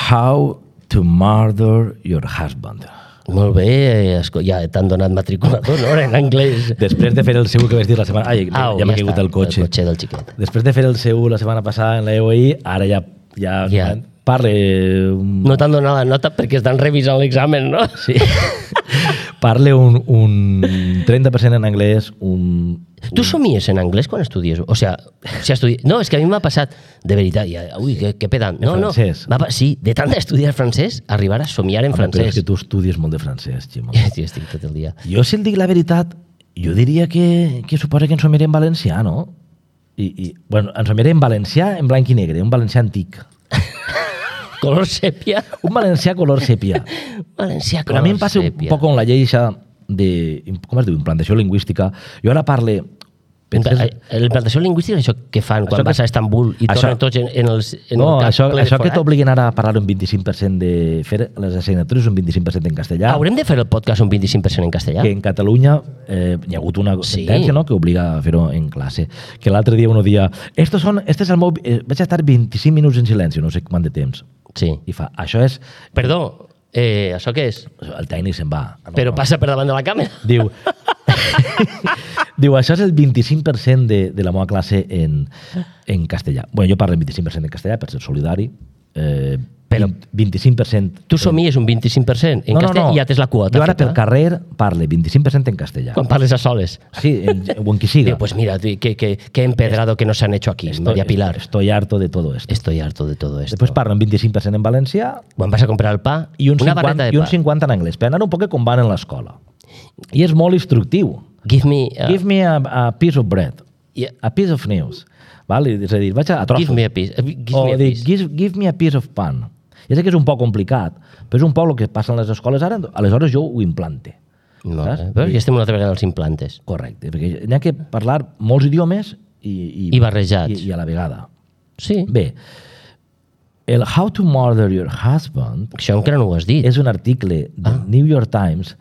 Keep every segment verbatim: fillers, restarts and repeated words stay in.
How to Murder Your Husband. Molt bé, ja t'han donat matriculador, no?, en anglès. Després de fer el seu que vas dir la setmana... Ai, Au, ja m'ha ja caigut està, el cotxe. el cotxe del xiquet. Després de fer el seu la setmana passada en la E O I, ara ja, ja, Ja. parle... No t'han donat la nota perquè estan revisant l'examen, no? Sí. Parle un, un trenta per cent en anglès, un... Tu somies en anglès quan estudies? O sea, si estudi... No, és que a mi m'ha passat, de veritat, ja, ui, que, que pedant. No, En no, francès. va, sí, de tant estudiar francès, arribar a somiar en Home, però és francès. que tu estudies molt de francès, Ximo. Sí, estic tot el dia. Jo, si et dic la veritat, jo diria que, que suposa que ens somiaré en valencià, no? I, i, bueno, ens somiaré en valencià en blanc i negre, un valencià antic. Color sèpia. Un valencià color sèpia. Valencià Però a color mi em passa un sèpia. poc amb la llei això de, com es diu, implantació lingüística. Jo ara parle... Penses... La implantació lingüística és això que fan quan Això vas que- a Estambul i això- tornen tots en, en, els, en No, el cap això, ple de això que forat? t'obliguen ara a parlar un vint-i-cinc per cent de... fer les assignatures un vint-i-cinc per cent en castellà. Haurem de fer el podcast un vint-i-cinc per cent en castellà? Que en Catalunya eh, hi ha hagut una Sí. sentència, no?, que obliga a fer-ho en classe. Que l'altre dia uno dia, estos son, este és el meu... Eh, vaig estar vint-i-cinc minuts en silenci, no sé quant de temps. Sí. I fa, això és... Perdó, eh, això què és? El tècnic se'n va. No, Però no. passa per davant de la càmera. Diu, diu, això és el vint-i-cinc per cent de, de la meva classe en, en castellà. Bueno, jo parlo el vint-i-cinc per cent en castellà per ser solidari. Eh, Però- vint-i-cinc per cent... Tu somies un vint-i-cinc per cent en castellà i ja tens la quota Jo ara feta. per carrer parle vint-i-cinc per cent en castellà. Quan parles a soles. Sí, en, o en qui siga. Digo, pues mira, que, que, que empedrado que nos han hecho aquí, Estoy- María Pilar. Estoy harto de todo esto. Estoy harto de todo esto. Després parlo un vint-i-cinc per cent en valencià Quan vas a comprar el pa, i un, una cinquanta, barreta de i un pa. cinquanta en anglès, per anar un poc com van en l'escola. I és molt instructiu. Give me, uh, Give me a, a piece of bread, yeah, a piece of news. Val? És a dir, vaig a, a trossos. give me a piece. uh, Give o me a dic, piece. give, give me a piece of pan. Ja sé que és un poc complicat, però és un poc el que passa en les escoles ara, aleshores jo ho implante. No, saps? eh? Però ja estem una altra vegada als implantes. Correcte, perquè n'hi ha que parlar molts idiomes i, i, I barrejats. I, i a la vegada. Sí, Bé, el How to Murder Your Husband això encara no ho has dit. és un article del Ah. New York Times,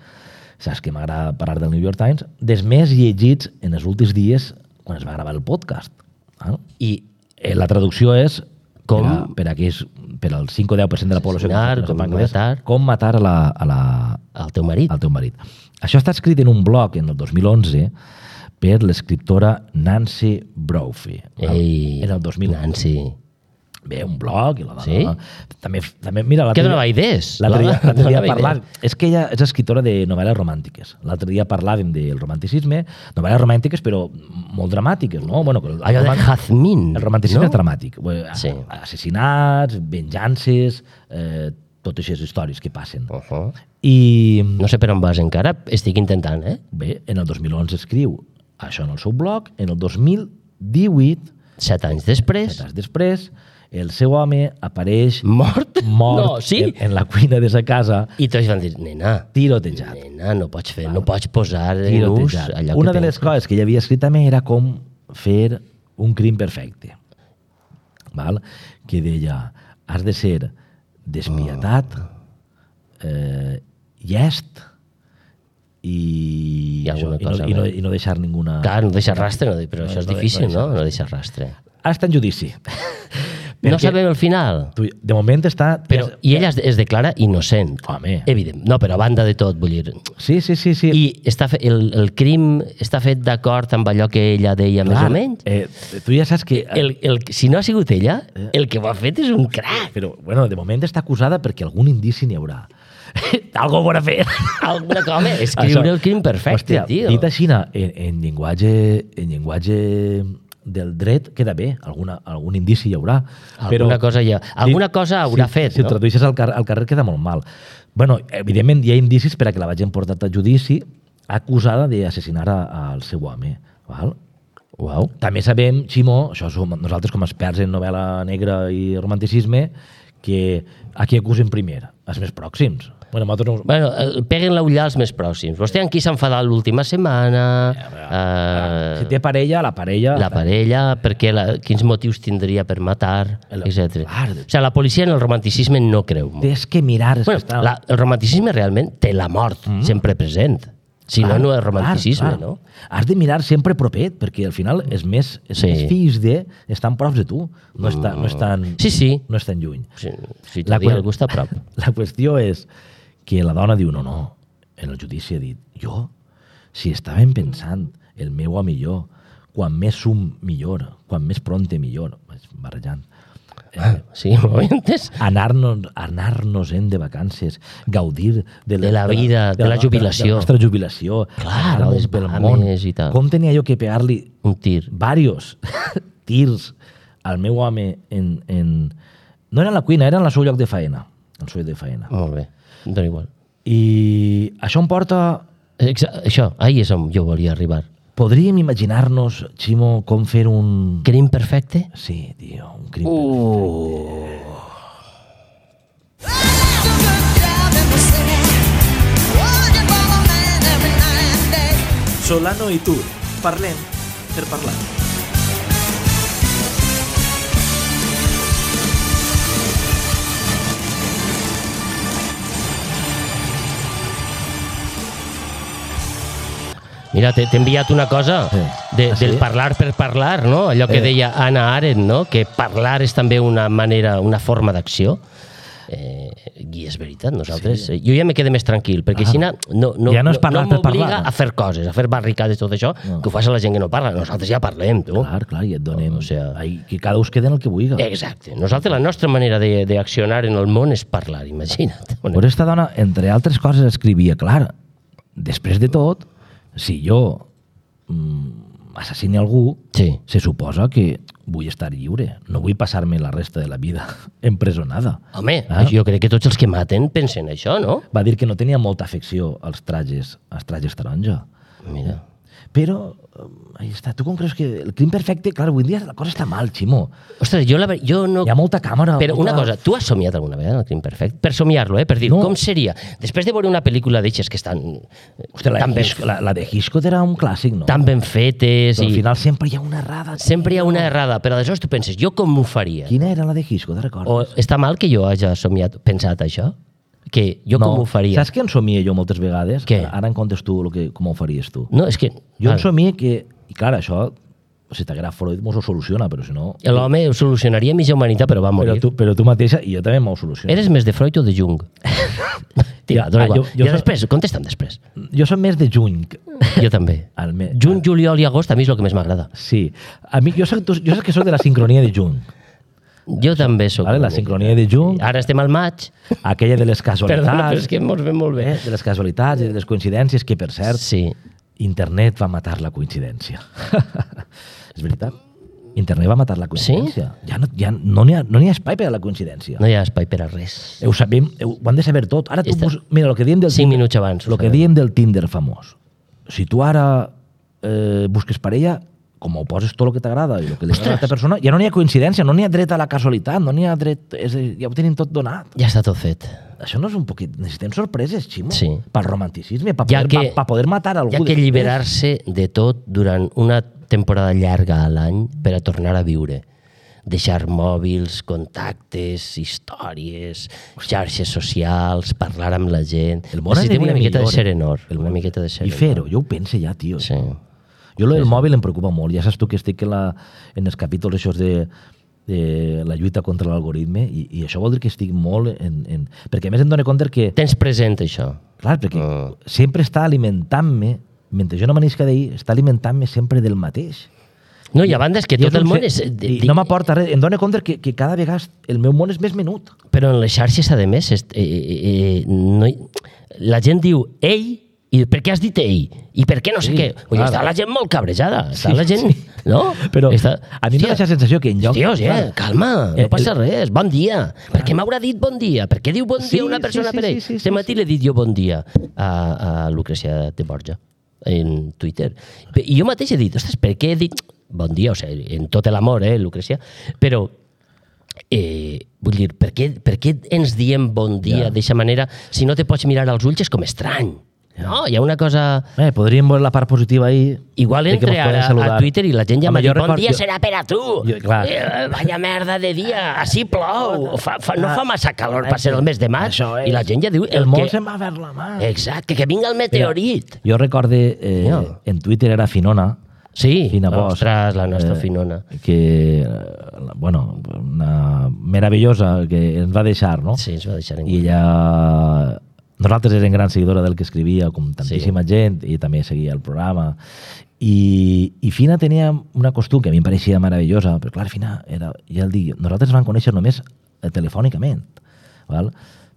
saps que m'agrada parlar del New York Times, dels més llegits en els últims dies quan es va gravar el podcast. Ah? I Eh, La traducció és Com? per, a, per, a aquells, per al cinc o deu per cent de la població que Assassinar, no sap com anglès, matar. com matar a la, a la, el teu marit. al teu marit. Això està escrit en un blog en el dos mil onze per l'escriptora Nancy Brophy. Ei, en el dos mil onze. Nancy. Bé, un blog i la dona... Sí? També, també, mira, Que l'altre donava dia, idees. l'altre dia, La- l'altre dia donava parlar... idees. És que ella és escriptora de novel·les romàntiques. L'altre dia parlàvem del romanticisme, novel·les romàntiques, però molt dramàtiques, no? Bueno, que el, Allò de romant- Jazmín. el romanticisme no? és dramàtic. Bueno, Sí. Assassinats, venjances, eh, totes aquestes històries que passen. Uh -huh. I No sé per on vas encara, estic intentant, eh? bé, en el dos mil onze escriu això en el seu blog, en el dos mil divuit, Set anys després, set anys després, el seu home apareix mort? mort No, sí? en, en la cuina de sa casa, I tots van dir, nena, tirotejat. nena, no pots fer, no pots posar en ús tirotejat. allò Una que de les coses que ella havia escrit també era com fer un crim perfecte. Val? Que deia, has de ser despietat, eh, llest i, I alguna això, i, no, cosa i, no, més. i no deixar ninguna... Clar, no deixa rastre, no, però No, això és no, difícil, no no? deixa No deixa rastre. Ara està en judici. No Perquè sabem el final, tu- De moment està... però i ella es, es declara innocent. Home. Evident. No, però a banda de tot, vull dir... Sí, sí, sí. sí. I està fe, el, el crim està fet d'acord amb allò que ella deia més o menys? Eh, tu ja saps que... El, el, si no ha sigut ella, el que ho ha fet és un crac. Però, bueno, de moment està acusada perquè algun indici n'hi haurà. Algo bona fer. Alguna cosa, escriure Això- el crim perfecte, Hòstia, tio. dit així, en, en, llenguatge, en llenguatge del dret queda bé, alguna, algun indici hi haurà. Alguna cosa hi ha- alguna cosa haurà si, fet, si no? ho tradueixes al, car al carrer queda molt mal. Bueno, evidentment hi ha indicis per a que la vagin portat a judici acusada d'assassinar a- al seu home. Val? Uau. També sabem, Ximo, això som nosaltres com a experts en novel·la negra i romanticisme, que a qui acusen primer? Els més pròxims. Bueno, nosaltres no... Bueno, el- peguen la ullà als més pròxims. Vostè amb qui s'ha enfadat l'última setmana? Si Eh, té parella, la parella... la parella, perquè la, quins motius tindria per matar, El- etcètera. Clar. O sigui, la policia en el romanticisme no creu molt. Tens que mirar... és Bueno, que està... la, el romanticisme realment té la mort Mm. sempre present. Si no, no és romanticisme, clar, clar. no? Has de mirar sempre propet, perquè al final és més, és Sí. més fills de... Estan prop de tu, no, està, no, estan, Sí, sí. no estan lluny. Si, si La t'ho diu que- algú està a prop. La qüestió és que la dona diu, no, no, en el judici ha dit, jo, si estàvem pensant el meu a millor, quan més sum millor, quan més pronte millor, vaig barrejant, Ah, sí, m'ho he entès? anar-nos anar-nos en de vacances, gaudir de, De la vida, de la jubilació. de la nostra jubilació, Clar, anar-nos les pel Bahames món. i tal. Com tenia jo que pegar-li Un tir. varios tirs al meu home en, en... No era en la cuina, era en el seu lloc de faena. El seu lloc de faena. Molt bé, em dona igual. I això em porta... Exa això, ahí és on jo volia arribar. Podríem imaginar-nos, Ximo, com fer un... Crim perfecte? Sí, tio, un crim Uh. Solano i tu, parlem per parlar. Mira, t'he t'he enviat una cosa Sí. de, Ah, sí? del parlar per parlar, no? Allò que Eh. deia Hannah Arendt, no? Que parlar és també una manera, una forma d'acció. Eh, I és veritat, nosaltres... Sí. Jo ja me quedé més tranquil, perquè així no, no, no, Ja no és parlar no per parlar, m'obliga no? a fer coses, a fer barricades, tot això, No. que ho fa la gent que no parla. Nosaltres ja parlem, tu. Clar, clar, i et donem... O sea- Ai, que cada us quede en el que vulgui. Exacte. Nosaltres, la nostra manera de- d'accionar en el món és parlar, imagina't. Però esta dona, entre altres coses, escrivia, clar, després de tot, si jo mm, assassini algú, Sí. se suposa que vull estar lliure. No vull passar-me la resta de la vida empresonada. Home, Ah. jo crec que tots els que maten pensen això, no? Va dir que no tenia molta afecció als trajes, als trajes taronja. Mira. Però, eh, ahí està. Tu com creus que el crim perfecte... Clar, avui en dia la cosa està mal, Ximo. Ostres, jo, la, ver- jo no... Hi ha molta càmera. Però molta... una cosa, tu has somiat alguna vegada el crim perfecte? Per somiar-lo, eh? Per dir, No. com seria? Després de veure una pel·lícula d'eixes que estan Hòstia, la, tan, ben, Hitchcock, la, la de Hitchcock era un clàssic, no? tan ben fetes Però al i final sempre hi ha una errada. sempre hi ha tio. una errada, però aleshores tu penses, jo com ho faria? Quina era la de Hitchcock, te recordes? O està mal que jo hagi somiat, pensat això? Que jo com ho faria? Saps què en somia jo moltes vegades? Què? Ara en comptes tu lo que, com ho faries tu. No, és que... Jo en clar, somia que... I clar, això, si t'agrada Freud, mos ho soluciona, però si no... l'home ho solucionaria mitja humanitat, però va Però morir. tu, però tu mateixa, i jo també m'ho soluciono. Eres més de Freud o de Jung? Tira, dona Ah, igual. jo- jo I soc- després, contesta'm després. Jo soc més de juny. Jo també. Al me... Juny, juliol i agost a mi és el que més m'agrada. Sí. A mi, jo, soc, jo soc que soc de la sincronia de juny. Jo també sóc. Vale? una La mica. sincronia de juny, Ara estem al maig. aquella de les casualitats, Perdona, però és que mos ve molt bé. eh? de les casualitats i de les coincidències, que per cert, Sí. internet va matar la coincidència. És veritat. Internet va matar la coincidència. Ja no ja no n'hi ha, no n'hi ha espai per a la coincidència. No hi ha espai per a res. Ho sabem, ho, ho han de saber tot. Ara tu Esta- pos, mira, el que diem del Cinc Tinder, minuts abans. ho el que sabem. diem del Tinder famós. Si tu ara eh, busques parella, com ho poses tot el que t'agrada i el que li agrada a l'altra persona, ja no n'hi ha coincidència, no n'hi ha dret a la casualitat, no n'hi ha dret... És, a dir, ja ho tenim tot donat. Ja està tot fet. Això no és un poquet... Necessitem sorpreses, Ximo. Sí. Pel romanticisme, per Ja poder, que- pa, pa poder matar algú. Hi ha que després. alliberar-se de tot durant una temporada llarga a l'any per a tornar a viure. Deixar mòbils, contactes, històries, xarxes socials, parlar amb la gent. El món Necessitem aniria una miqueta de millor, eh? serenor. El Una món- miqueta de I serenor. fer-ho, jo ho penso ja, tio. Sí. Jo lo del mòbil em preocupa molt. Ja saps tu que estic en, la, en els capítols això de, de la lluita contra l'algoritme i, i això vol dir que estic molt en... en perquè a més em dono compte que... Tens present això. Clar, perquè Ah. sempre està alimentant-me, mentre jo no m'anisca d'ahir, està alimentant-me sempre del mateix. No, i a banda és que I tot el un món fe- és... I no m'aporta res. Em dono compte que, que cada vegada el meu món és més menut. Però en les xarxes, a més, és, eh, eh, no hi... la gent diu ell, i per què has dit ell? I per què no sé Sí, què? Ui, clar. està la gent molt cabrejada. Està Sí, la gent... sí. No? Però està... a mi em dona aquesta sensació que en lloc... Hòstia, clar, ja, calma, Eh, no passa el- res, bon dia. Per què m'haurà dit bon dia? Per què diu bon Sí, dia una sí, persona sí, per ell? sí, sí, Este sí, matí l'he dit jo bon dia a, a Lucrecia de Borja en Twitter. I jo mateix he dit, ostres, per què he dit bon dia? O sigui, en tot l'amor, eh, Lucrecia? Però, eh, vull dir, per què, per què ens diem bon dia Ja. d'eixa manera si no te pots mirar als ulls és com estrany. No, hi ha una cosa... Eh, podríem veure la part positiva ahí. Igual de que entre mos poden ara a saludar. Twitter i la gent ja Home, m'ha dit jo bon record- dia jo- serà per a tu. Jo- clar. Eh, vaya merda de dia, així plou. Fa, fa, no fa massa calor per ser el mes de maig. Això és. I la gent ja diu... El món que... se'n va ver la mà. Exacte, que vinga el meteorit. Jo recorde, eh, No. en Twitter era Finona, Sí, Fina Bosch. ostres, la nostra eh, Finona. que, eh, bueno, una meravellosa que ens va deixar, no? Sí, ens va deixar en I ella... Nosaltres érem gran seguidora del que escrivia, com tantíssima sí. gent, i també seguia el programa. I, I Fina tenia una costum que a mi em pareixia meravellosa, però clar, Fina, era, ja el dic, nosaltres vam conèixer només eh, telefònicament, val?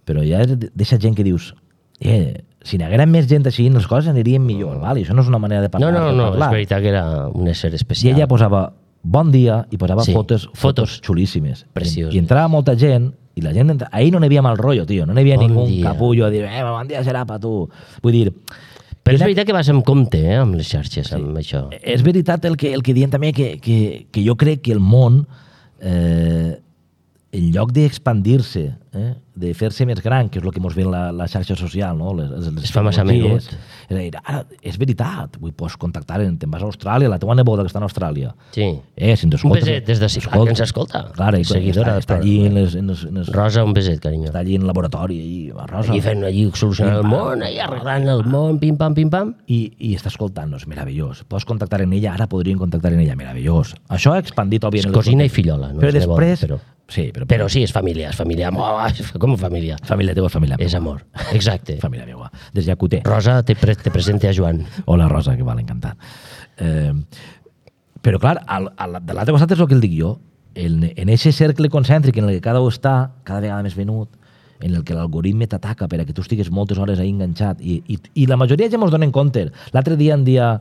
Però ja és d'aquesta gent que dius, eh, si n'hi haguera més gent així, les coses anirien millor, val? I això no és una manera de No, parlar. no, de no, parlar. és veritat que era un ésser I especial. ella posava bon dia i posava Sí, fotos, fotos. fotos xulíssimes. Precioses. I, I entrava molta gent i la gent... Entra... Ahir no n'hi havia mal rotllo, tio. No n'hi havia Bon ningú dia. capullo a dir, eh, bon dia serà per tu. Vull dir... Però és era- veritat que vas amb compte, eh, amb les xarxes, amb això. És veritat el que, el que diem també, que, que, que jo crec que el món, eh, en lloc d'expandir-se, eh, de fer-se més gran, que és el que ens ve en la, la xarxa social, no? les, les, les Es fa massa tecnologies, menut. és, a dir, ara, és veritat, vull, pots contactar, te'n vas a Austràlia, la teva neboda que està en Austràlia, Sí. eh, si ens Un escoltes... beset des de sí, clar, que ens escolta. Clar, i Seguidora està, està del allí en programa. les, en les, en les, Rosa, un beset, carinyo. està allí en el laboratori, allí, a Rosa, Allí fent, allí solucionant el Pim, pam. món, allí arreglant el món, pim-pam, pim-pam. i, i està escoltant-nos, meravellós. Pots contactar en ella, ara podrien contactar en ella, meravellós. Això ha expandit, És òbviament. cosina i fillola, no Però és neboda, després... però... Sí, però, Però sí, és família, és família. Oh, com família? família teva és família meva. És amor, exacte. Família meva. Des de Llacuté. Rosa, te, pre te presente a Joan. Hola, Rosa, que val, encantat. Eh, però, clar, al, al, de l'altre costat és el que el dic jo. En, en ese cercle concèntric en el que cada un està, cada vegada més venut, en el que l'algoritme t'ataca per a que tu estigues moltes hores ahí enganxat. I, i, i la majoria ja ens donen compte. L'altre dia en dia,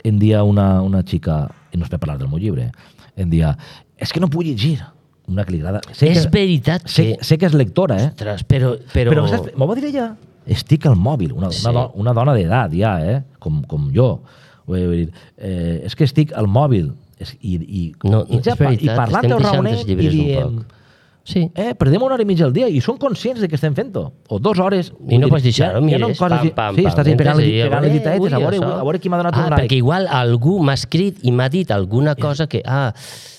en dia una, una xica, i no es per parlar del meu llibre, en dia, és que no puc llegir. Una que li agrada. Sé És que, veritat sé, que... sé que és lectora, eh? Ostres, però... però... Però, saps, m'ho va dir ella, estic al mòbil, una, Sí. una, do, una dona d'edat ja, eh? com, com jo. Vull dir, eh, és que estic al mòbil. És, i, i, No, i, ja, és veritat, i parlant estem o deixant raonem els i llibres un diem, poc. Sí. eh, perdem una hora i mitja al dia i són conscients de que estem fent-ho. O dues hores. I no Vull pots deixar-ho, ja, ja no mires, coses, pam, pam, sí, pam. estàs ahí pegant, Entres i pegant les eh, ditetes, ui, a veure, això. a veure qui m'ha donat ah, un like. perquè igual algú m'ha escrit i m'ha dit alguna cosa que... Ah,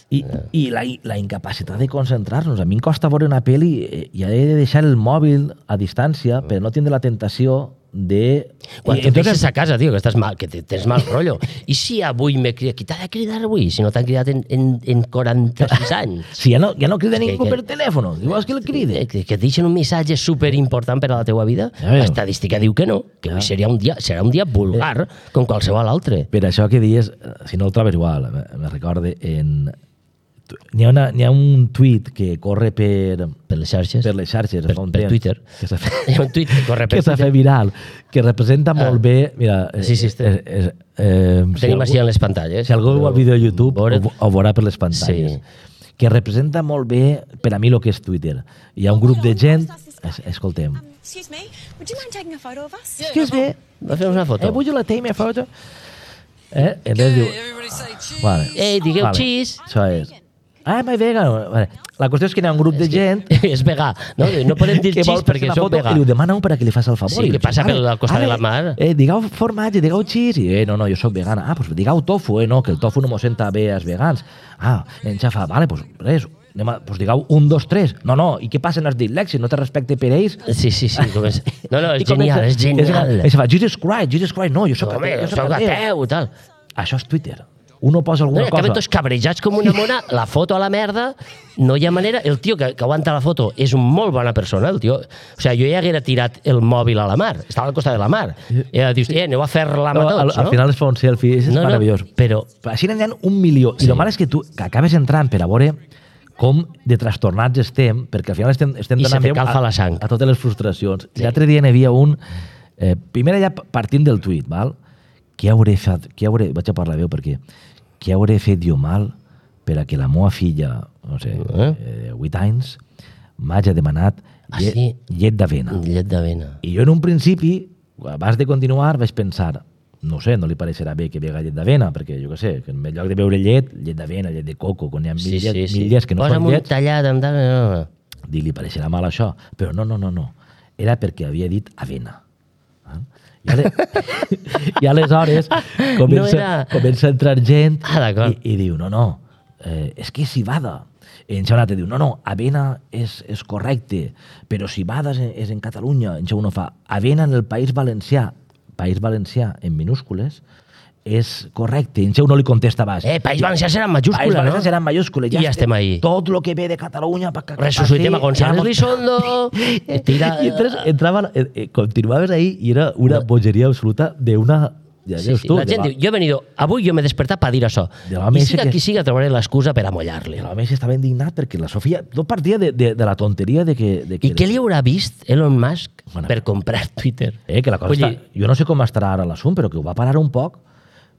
I, i la, la incapacitat de concentrar-nos. A mi em costa veure una pel·li eh, i he de deixar el mòbil a distància per no tindre la tentació de... quan I, et deixes a casa, tio, que, estàs mal, que te- tens mal rotllo. I si avui m'he cridat... Qui t'ha de cridar avui? Si no t'han cridat en, en, en quaranta-sis anys. Si ja no, ja no crida que- ningú que- per telèfon, vols que el cride? Que, que et deixen un missatge superimportant per a la teua vida. Ja veus. L'estadística diu que no, que Ja. avui seria un dia, serà un dia vulgar, com qualsevol altre. Per això que dies, eh, si no el trobes igual, me, me recorde en... tu- N'hi ha, una, n'hi ha un tuit que corre per, Per les xarxes. per les xarxes. Per- fa un per temps, Twitter. Que s'ha fet, Hi ha un tuit que corre per que s'ha Twitter. fet viral, que representa molt Ah. bé... Mira, Sí, sí, este. eh, eh, eh, si Tenim algú- així en les pantalles. Si algú veu el vídeo de YouTube, Veure- ho, ho veurà per les pantalles. Sí. Que representa molt bé, per a mi, el que és Twitter. Hi ha un grup de gent... Es, escoltem. Um, excuse me, would you mind taking a photo of us? Excuse me, Va fer una foto. eh, would you like to take me a photo? Eh? I llavors diu... Vale. Ei, digueu cheese. Això és. Ah, my vegan. Vale. La qüestió és que hi ha un grup de gent És vegà. No, no podem dir que vol cheese fer perquè una som foto vegà. i li ho demana un per a que li faci el favor. Sí, I que diu, passa "Vale, pel costat de vale, la mar." Eh, digueu formatge, digueu cheese. I, eh, no, no, jo sóc vegana. Ah, doncs digueu tofu, eh, no, que el tofu no m'ho senta bé als vegans. Ah, en Xafa, vale, doncs res, anem a, doncs digueu un, dos, tres. No, no, i què passa en els dislèxics? No té respecte per ells? Sí, sí, sí. Com és... No, no, és I comença- genial, és genial. I se fa, Jesus Christ, Jesus Christ, no, jo sóc Home, ateu, jo soc sóc ateu. ateu, tal. Això és Twitter. Uno posa No, alguna acaben cosa... tots cabrejats com una mona, la foto a la merda, no hi ha manera... El tio que, que aguanta la foto és un molt bona persona, el tio... O sigui, jo ja haguera tirat el mòbil a la mar, estava al costat de la mar. I ara dius, eh, aneu a fer-la No, amb al, tots, no? al final es fa un selfie, és No, no, meravellós. però- Però així n'hi ha un milió. I Sí. el mal és que tu que acabes entrant per a veure com de trastornats estem, perquè al final estem, estem I se donant te veu calfa a, la sang. a totes les frustracions. Sí. L'altre dia n'hi havia un... Eh, primer ja partint del tuit, val? Què hauré fet? Què hauré, vaig a parlar veu perquè... Què hauré fet jo mal per a que la meva filla, no sé, Eh? eh, vuit anys, m'hagi demanat Ah, llet, sí? llet d'avena. Llet d'avena. I jo en un principi, abans de continuar, vaig pensar, no sé, no li pareixerà bé que vega llet d'avena, perquè jo què sé, que en lloc de beure llet, llet d'avena, llet de coco, quan hi ha mil, Sí, llet, sí, sí. mil llets que no Posa'm són un llets, tallat amb... tal, No, no. dic, li pareixerà mal això. Però no, no, no, no. Era perquè havia dit avena. I, ale... I aleshores comença, No era- comença a entrar gent Ah, d'acord. i, i diu, no, no, eh, és que Civada. I en Xaunat diu, no, no, Avena és, és correcte, però Civada és, és en Catalunya. En Xau no fa, Avena en el País Valencià, País Valencià en minúscules, és correcte. En Xeu no li contesta baix. Eh, País Valencià serà en majúscula, País no? Valencià serà en majúscula. I ja estem ahí. Tot el que ve de Catalunya... Pa, Resucitem a Gonzalo Elizondo. Tira... I entonces entrava, eh, eh, continuaves ahí i era una bogeria absoluta d'una... Ja, Sí, veus sí. tu, La de gent la- diu, jo he venido, avui jo m'he despertat per dir això. De l'home I ese siga que- qui siga, trobaré l'excusa per amollar-li. L'home estava indignat perquè la Sofia no partia de, de, de la tonteria de que... De que I què li haurà vist Elon Musk Bueno. per comprar Twitter? Eh, que la cosa Vull està... dir, Jo no sé com estarà ara l'assumpte, però que ho va parar un poc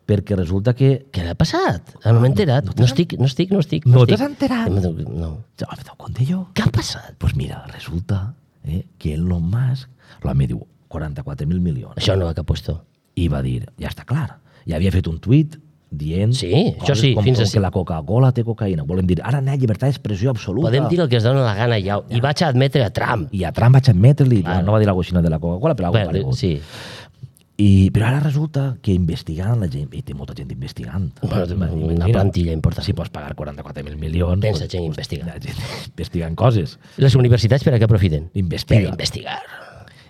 perquè resulta que... què l'ha passat? No m'he enterat. No estic, no estic, no estic. No estic. t'has enterat? No. Ja m'he donat compte jo. Què ha passat? Pues mira, resulta eh, que Elon Musk, l'home diu quaranta-quatre mil milions. Això no va que ha puesto. I va dir, ja està clar, ja havia fet un tuit dient Sí, això sí, com, fins com a- que la Coca-Cola té cocaïna. Volem dir, ara n'hi ha llibertat d'expressió absoluta. Podem dir el que es dona la gana ja. I vaig a admetre a Trump. I a Trump vaig admetre-li, Claro. no va dir la coixina de la Coca-Cola, però alguna Bueno, cosa sí. I, però ara resulta que investigant la gent, i té molta gent investigant. Bueno, té una Imagina, plantilla important. Si pots pagar quaranta-quatre mil milions... Tens la gent investigant. La gent investigant coses. Les universitats per a què aprofiten? Investiga. Per investigar.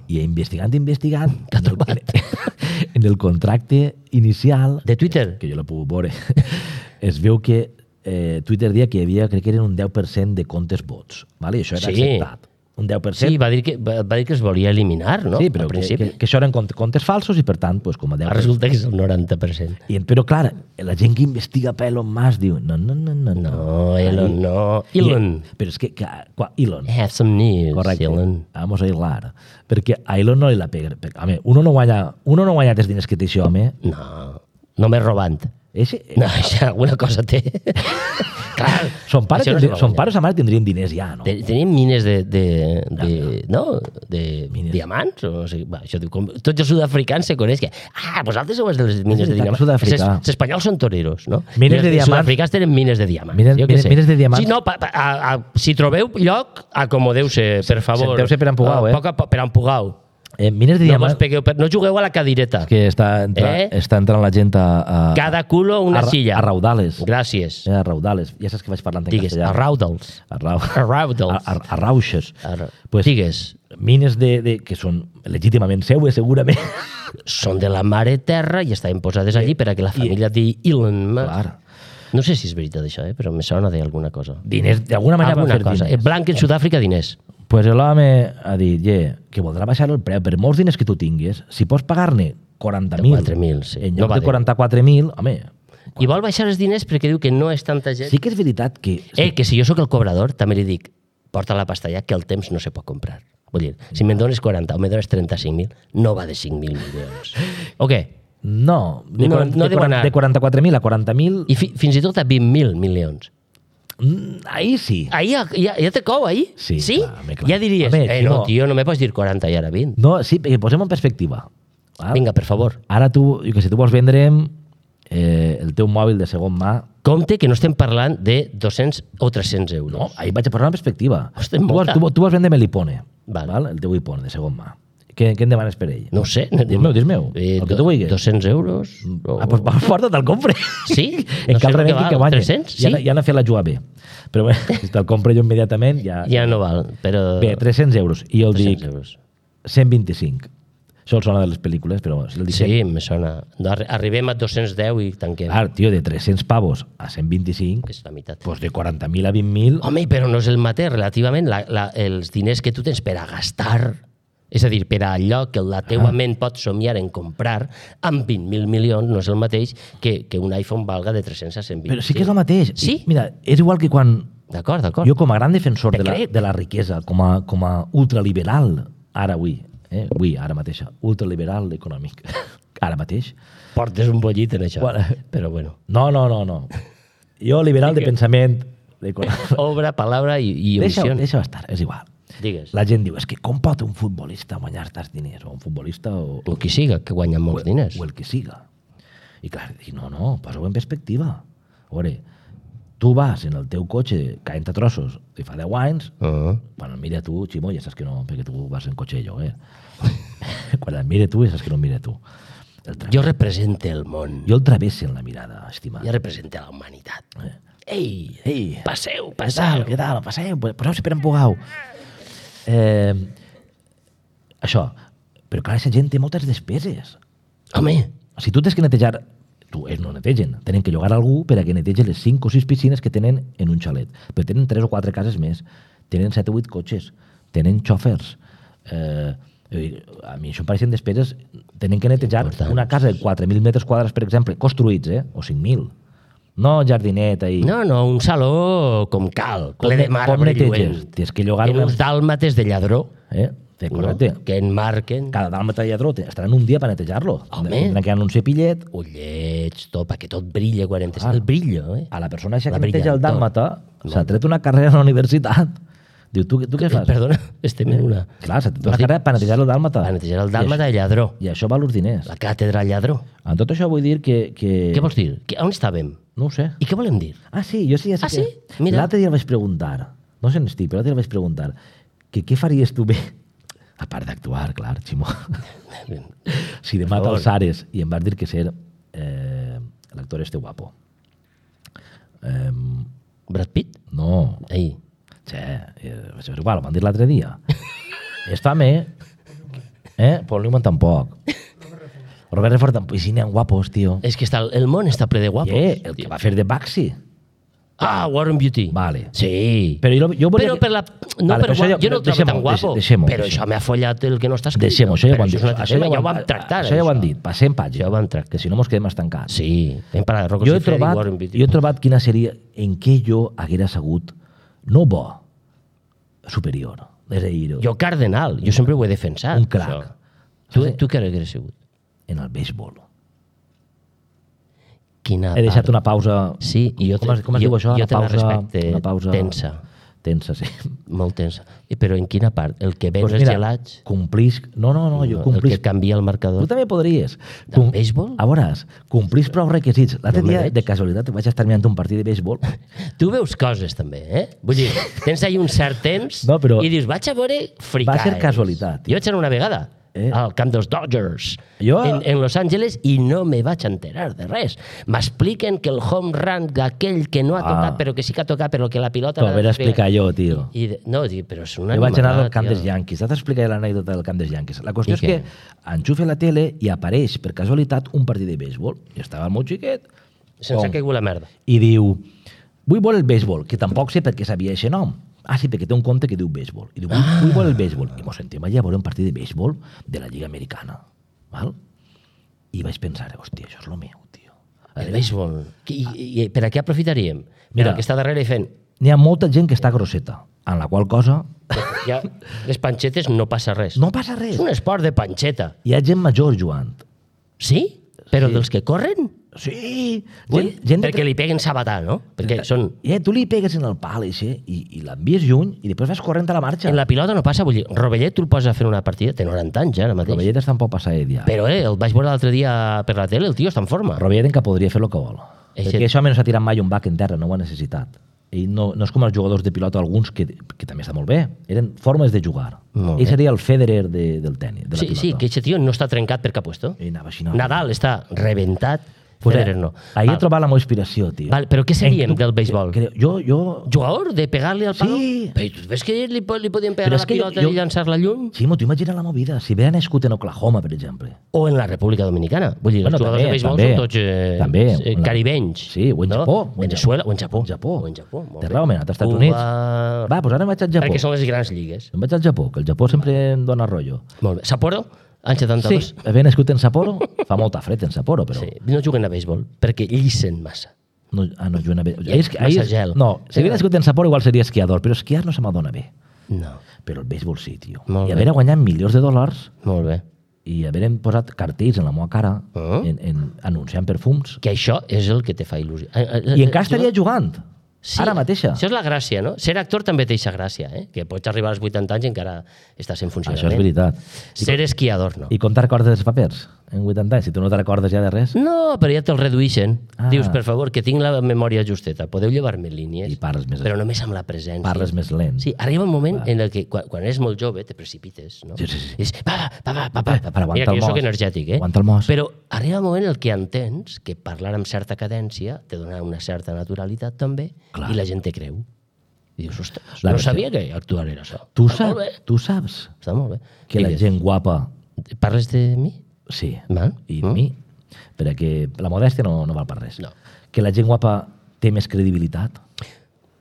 I investigant, investigant, T'ha en el, trobat. en el contracte inicial, De Twitter? que jo l'he pogut veure, es veu que eh, Twitter dia que hi havia, crec que eren un deu per cent de comptes bots, vale? I això era Sí. acceptat. Un deu per cent. Sí, va dir que, va, va dir que es volia eliminar, no? Sí, però Al que, principi. que, que això eren comptes, comptes falsos i, per tant, pues, com a deu per cent. Resulta que és el noranta per cent. I, però, clar, la gent que investiga per Elon Musk diu, no, no, no, no. No, Elon, Ahí- no. I- Elon. Però és que, que qua, Elon, I have some news, correcte, Elon. vamos a hilar. Perquè a Elon no li la pega. perquè, Home, uno no guanya, uno no guanya els diners que té això, home. No, només robant. Ese, No, això alguna cosa té. Clar, son pares, això no tindrien, se va son guanyar. pares a mare tindrien diners ja, no? Te- Tenim mines de, de, de, no? de Mines. diamants? O, no sé, va, això diu, com, tots els sud-africans se coneix que ah, vosaltres sou els de les mines de veritat, diamants. Sud-africà. Els, els espanyols són toreros, no? Mines I els de diamants. sud-africans tenen mines de diamants. Mines- jo què mines- sé. mines de diamants. Si no, pa, pa, a, a, si trobeu lloc, acomodeu-se, per favor. Senteu-se per Empugau, Ah, eh? Poc a poc, per Empugau. Eh, mines de No, diamants... mos pegueu per, no jugueu a la cadireta. que està, entra, Eh? està entrant la gent a... a Cada culo una a, ra- silla. A raudales. Gràcies. Eh, a raudales. Ja saps que vaig parlant en Digues, castellà. a raudals. A, rau... A raudals. a, a, a rauxes. A ra- Pues, Digues, mines de, de, que són legítimament seues, segurament. són de la mare terra i estaven posades allí per a que la família de Elon Musk... Clar. No sé si és veritat això, eh? però me sona d'alguna cosa. Diners, d'alguna manera van Alguna fer cosa. diners. Eh, Blanc en Sud-àfrica, diners. Pues l'home ha dit, yeah, que voldrà baixar el preu per molts diners que tu tinguis. Si pots pagar-ne quaranta mil quatre mil, sí. en No lloc va de dir. quaranta-quatre mil, home, I vol baixar els diners perquè diu que no és tanta gent. sí que és veritat que... Eh, que si jo sóc el cobrador, també li dic, porta la pasta ja, que el temps no se pot comprar. Vull dir, si me'n dones quaranta o me dones trenta-cinc mil, no va de cinc mil milions. O què? No, de, No, quaranta, no de, deu quaranta, anar. de quaranta-quatre mil a quaranta mil, I fi, fins i tot a vint mil milions. mm, ahí sí. Ahí ja, ja, ja te cou, ahí? Sí, Sí? clar, home, clar. Ja diries, Home, eh, si no, no- tio, no me pots dir quaranta i ara vint. No, sí, perquè posem en perspectiva. Val? Vinga, per favor. Ara tu, jo que sé, tu vols vendre eh, el teu mòbil de segon mà. Compte que no estem parlant de dos-cents o tres-cents euros. No, ahir vaig a posar en perspectiva. Ostres, tu, vols, molta. tu, tu vols vendre-me l'Ipone, Val. val? el teu Ipone de segon mà. Què, què em demanes per ell? No ho sé. Dis-meu, dis-meu, el que tu vulguis. dos-cents euros? O... Ah, doncs va, porta't, el compre. Sí? En No sé cal el que remei val, que guanya. tres-cents? Ja, Sí? ja n'ha fet la jugada bé. Però bé, si te'l compro jo immediatament, ja... Ja no val, però... Bé, tres-cents euros. I jo el tres-cents dic euros. cent vint-i-cinc. Això el sona de les pel·lícules, però si el dic Sí, me sona. No, arri- arribem a dos-cents deu i tanquem. Clar, tio, de tres-cents pavos a cent vint-i-cinc, És la meitat. doncs de quaranta mil a vint mil... Home, però no és el mateix, relativament, la, la, els diners que tu tens per a gastar, és a dir, per a allò que la teua Ah. ment pot somiar en comprar, amb vint mil milions no és el mateix que, que un iPhone valga de tres-cents a cent vint. Però sí que és el mateix. Sí? I, mira, és igual que quan D'acord, d'acord. jo com a gran defensor Te de la, crec. de la riquesa, com a, com a ultraliberal, ara avui, eh, avui, ara mateixa, ultraliberal econòmic, ara mateix. Portes un bollit en això. Bueno. Però bueno. No, no, no, no. Jo liberal de pensament, econòmic. Obra, palabra i, i Deixa, omissió. deixa estar, és igual. Digues. La gent diu, és que com pot un futbolista guanyar tants diners? O un futbolista o, O qui siga, que guanya molts diners. o el que siga. I clar, dic, no, no, posa-ho en perspectiva. A veure, tu vas en el teu cotxe caent a trossos de fa deu anys, Uh -huh. bueno, mira tu, Ximo, ja saps que no, perquè tu vas en cotxe de lloguer. Quan el mire tu, saps que no el mire tu. El tra... Jo represente el món. jo el travesse en la mirada, estimat. Jo represente la humanitat. Ei, Ei, passeu, què tal, passeu. què tal? Passeu, poseu-se per empugau. Eh, això, però clar, aquesta gent té moltes despeses. Home, Si tu tens que netejar, tu, ells no netegen, tenen que llogar algú per a que netegi les cinc o sis piscines que tenen en un xalet. Però tenen tres o quatre cases més, tenen set o vuit cotxes, tenen xòfers. Eh, a mi això em pareixen despeses. Tenen que netejar Importants. una casa de quatre mil metres quadrats, per exemple, construïts, eh? o cinc mil. No jardineta i... no, no, un saló com cal, Com ple de ne- com marbre neteges? lluent. Tens que llogar En una- uns dàlmates de lladró, Eh? Té, correcte. no? Que enmarquen Cada dàlmata i lladró te- estaran un dia per netejar-lo. Home. Tindran que anar un cepillet. ullets, tot, perquè tot brilla quan entres. Clar. El brillo, eh? A la persona eixa La que neteja el brillantor. dàlmata s'ha tret una carrera a la universitat. Diu, tu, tu què fas? Perdona, estem en una... Clar, s'ha tret una carrera per netejar el dàlmata. Per netejar el dàlmata de lladró. I això val els diners. La càtedra lladró. En tot això vull dir que... que... Què vols dir? Que, on estàvem? No ho sé. I què volem dir? Ah, sí, jo sí, ja sé Ah, que... sí? Mira. L'altre dia el vaig preguntar, no sé on estic, però l'altre dia el vaig preguntar, que què faries tu bé, a part d'actuar, clar, Ximó, si demà Per favor. t'alçares i em vas dir que ser eh, l'actor este guapo. Eh, Brad Pitt? no, Ei. che, eh, això és igual, ho van dir l'altre dia. Està-me, eh? Paul Newman tampoc. Robert Redford tampoc, i si n'hi ha guapos, tio. És que està, el món està ple de guapos. Eh, el que va fer de Baxi. Ah, Warren Beatty. Vale. Sí. Però jo, jo volia... Però per la... No, Vale, per però això guapo, ja- jo no el trobo deixem-ho, tan guapo. deixem-ho, però deixem-ho. això m'ha follat el que no està escrit. Deixem-ho, això ja ho Però han dit. és un altre Això tema, ja ho ja ho han- vam tractar. Això ja ho han dit. Passem pàgina. Ja ho vam tractar. Que si no mos quedem estancats. Sí. Hem parlat de Rocco Jo he, Siffredi i trobat, Warren Beatty. jo he trobat quina seria en què jo haguera segut, no bo, superior. És a dir, Jo cardenal. Jo sempre ho he defensat. un crac. això. Tu, tu què hauries sigut? En el béisbol. Quina He deixat part. una pausa... Sí, i jo com es, te- com es jo- diu això? jo Una te la pausa, respecte una pausa tensa. Tensa, sí. Molt tensa. I, però en quina part? El que ven Pues els mira, gelats? Complisc... No, no, no, jo el complisc... que canvia el marcador? Tu també podries. Del béisbol? A veuràs, complís prou requisits. L'altre No me dia, veig. de casualitat, vaig estar mirant un partit de béisbol. Tu veus coses, també, eh? Vull dir, tens ahí un cert temps No, però- i dius, vaig a veure fricades. Va ser casualitat. Jo vaig anar una vegada Eh? al camp dels Dodgers Jo- en, en Los Angeles i no me vaig enterar de res. M'expliquen que el home run d'aquell que no ha tocat, Ah. però que sí que ha tocat, però que la pilota... T'ho l'ha hauré de d'explicar jo, tio. I, de, no, dic, però és una Jo vaig anar al animalada, camp tio. dels Yankees. T'has d'explicar l'anècdota del camp dels Yankees. La qüestió I és què? que enxufe la tele i apareix, per casualitat, un partit de béisbol. I estava el meu xiquet. Sense Com? que caigut la merda. I diu, vull veure el béisbol, que tampoc sé per què sabia aquest nom. Ah, sí, perquè té un compte que diu béisbol. I diu, vull, Ah. vull veure el béisbol. I mos sentim allà a veure un partit de béisbol de la Lliga Americana. Val? I vaig pensar, hòstia, això és el meu, tio. A El veure, béisbol. I, i, i per a què aprofitaríem? Mira. Mira, el que està darrere i fent... N'hi ha molta gent que està grosseta, en la qual cosa Ja, les panxetes no passa res. no passa res. És un esport de panxeta. Hi ha gent major jugant. Sí? Però Sí. dels que corren? Sí! Ui, Gent, gent de perquè li peguen sabatà, no? Perquè són... Eh, tu li pegues en el pal eixe, i, i l'envies lluny i després vas corrent a la marxa. En la pilota no passa, vull dir, Rovellet tu el poses a fer una partida, té noranta anys ja ara mateix. Rovellet està un poc passadet ja. Però eh, el vaig veure l'altre dia per la tele, el tio està en forma. Rovellet encara podria fer el que vol. Eixe- Perquè això home no s'ha tirat mai un bac en terra, no ho ha necessitat. Ell no, no és com els jugadors de pilota, alguns que, que també està molt bé. Eren formes de jugar. Molt Ell bé. seria el Federer de, del tenis, de la Sí, pilota. sí, que aquest tio no està trencat per cap puesto. Ell anava així, no? Nadal està rebentat, Pues, Federer no. Ahir he Val. trobat la meva inspiració, tio. Val, però què seríem En- del béisbol? Creo, jo, jo... Jugador de pegar-li al palo? Sí. Però tu ves que li, po- li podien pegar Però a és la que jo- pilota jo- i llançar-la lluny? Ximo, tu imagina la movida. Si hubiera nascut en Oklahoma, per exemple. O en la República Dominicana. Vull dir, Bueno, els jugadors també, de béisbol també. són tots eh, També, eh, en la- caribenys. Sí, o en no? Japó, o en Venezuela, o en Japó. En Japó. O en Japó, molt Té bé. raó, m'he anat als Estats Cuba... Units. Va, doncs ara em vaig al Japó. Perquè són les grans lligues. Em vaig al Japó, que el Japó sempre em dona rotllo. Molt bé. Sapporo, any Sí, setanta-dos. haver nascut en Sapporo, fa molta fred en Sapporo, però... Sí. No juguen a béisbol, perquè llissen massa. No, ah, no, juguen a bé. Hi ha massa gel. No, si hagués nascut en Sapporo igual seria esquiador, però esquiar no se m'adona bé. No. Però el béisbol sí, tio. Molt I bé. haver guanyat milions de dòlars Molt bé. i haver posat cartells en la meva cara Ah. en, en, anunciant perfums Que això és el que te fa il·lusió. Eh, eh, i eh, encara estaria jugant. Sí, Ara mateixa. Això és la gràcia, no? Ser actor també té aquesta gràcia, eh? Que pots arribar als vuitanta anys i encara estàs en funcionament. Això és veritat. I, Ser esquiador, no. I comptar cordes dels papers. en vuitanta anys, si tu no te recordes ja de res, No, però ja te'l redueixen. Ah. Dius, per favor, que tinc la memòria justeta. Podeu llevar-me línies. I parles més- Però només amb la presència. parles més lent. Sí, arriba un moment en el que quan, quan eres molt jove te precipites, no? Sí, sí, sí. I dius, va, va, va, va, va, Eh, va. però aguanta Mira que el jo soc mos. energètic, eh? Aguanta el mos. Però arriba un moment en el que entens que parlar amb certa cadència te dona una certa naturalitat també Clar. i la gent te creu. I dius, ostres, La no versió- sabia que actuar era això. Tu, Està saps, molt bé. tu saps Està molt bé. que la Digues. gent guapa, Parles de mi? sí, Val. i Mm. de mi, perquè la modèstia no, no val per res. No. Que la gent guapa té més credibilitat.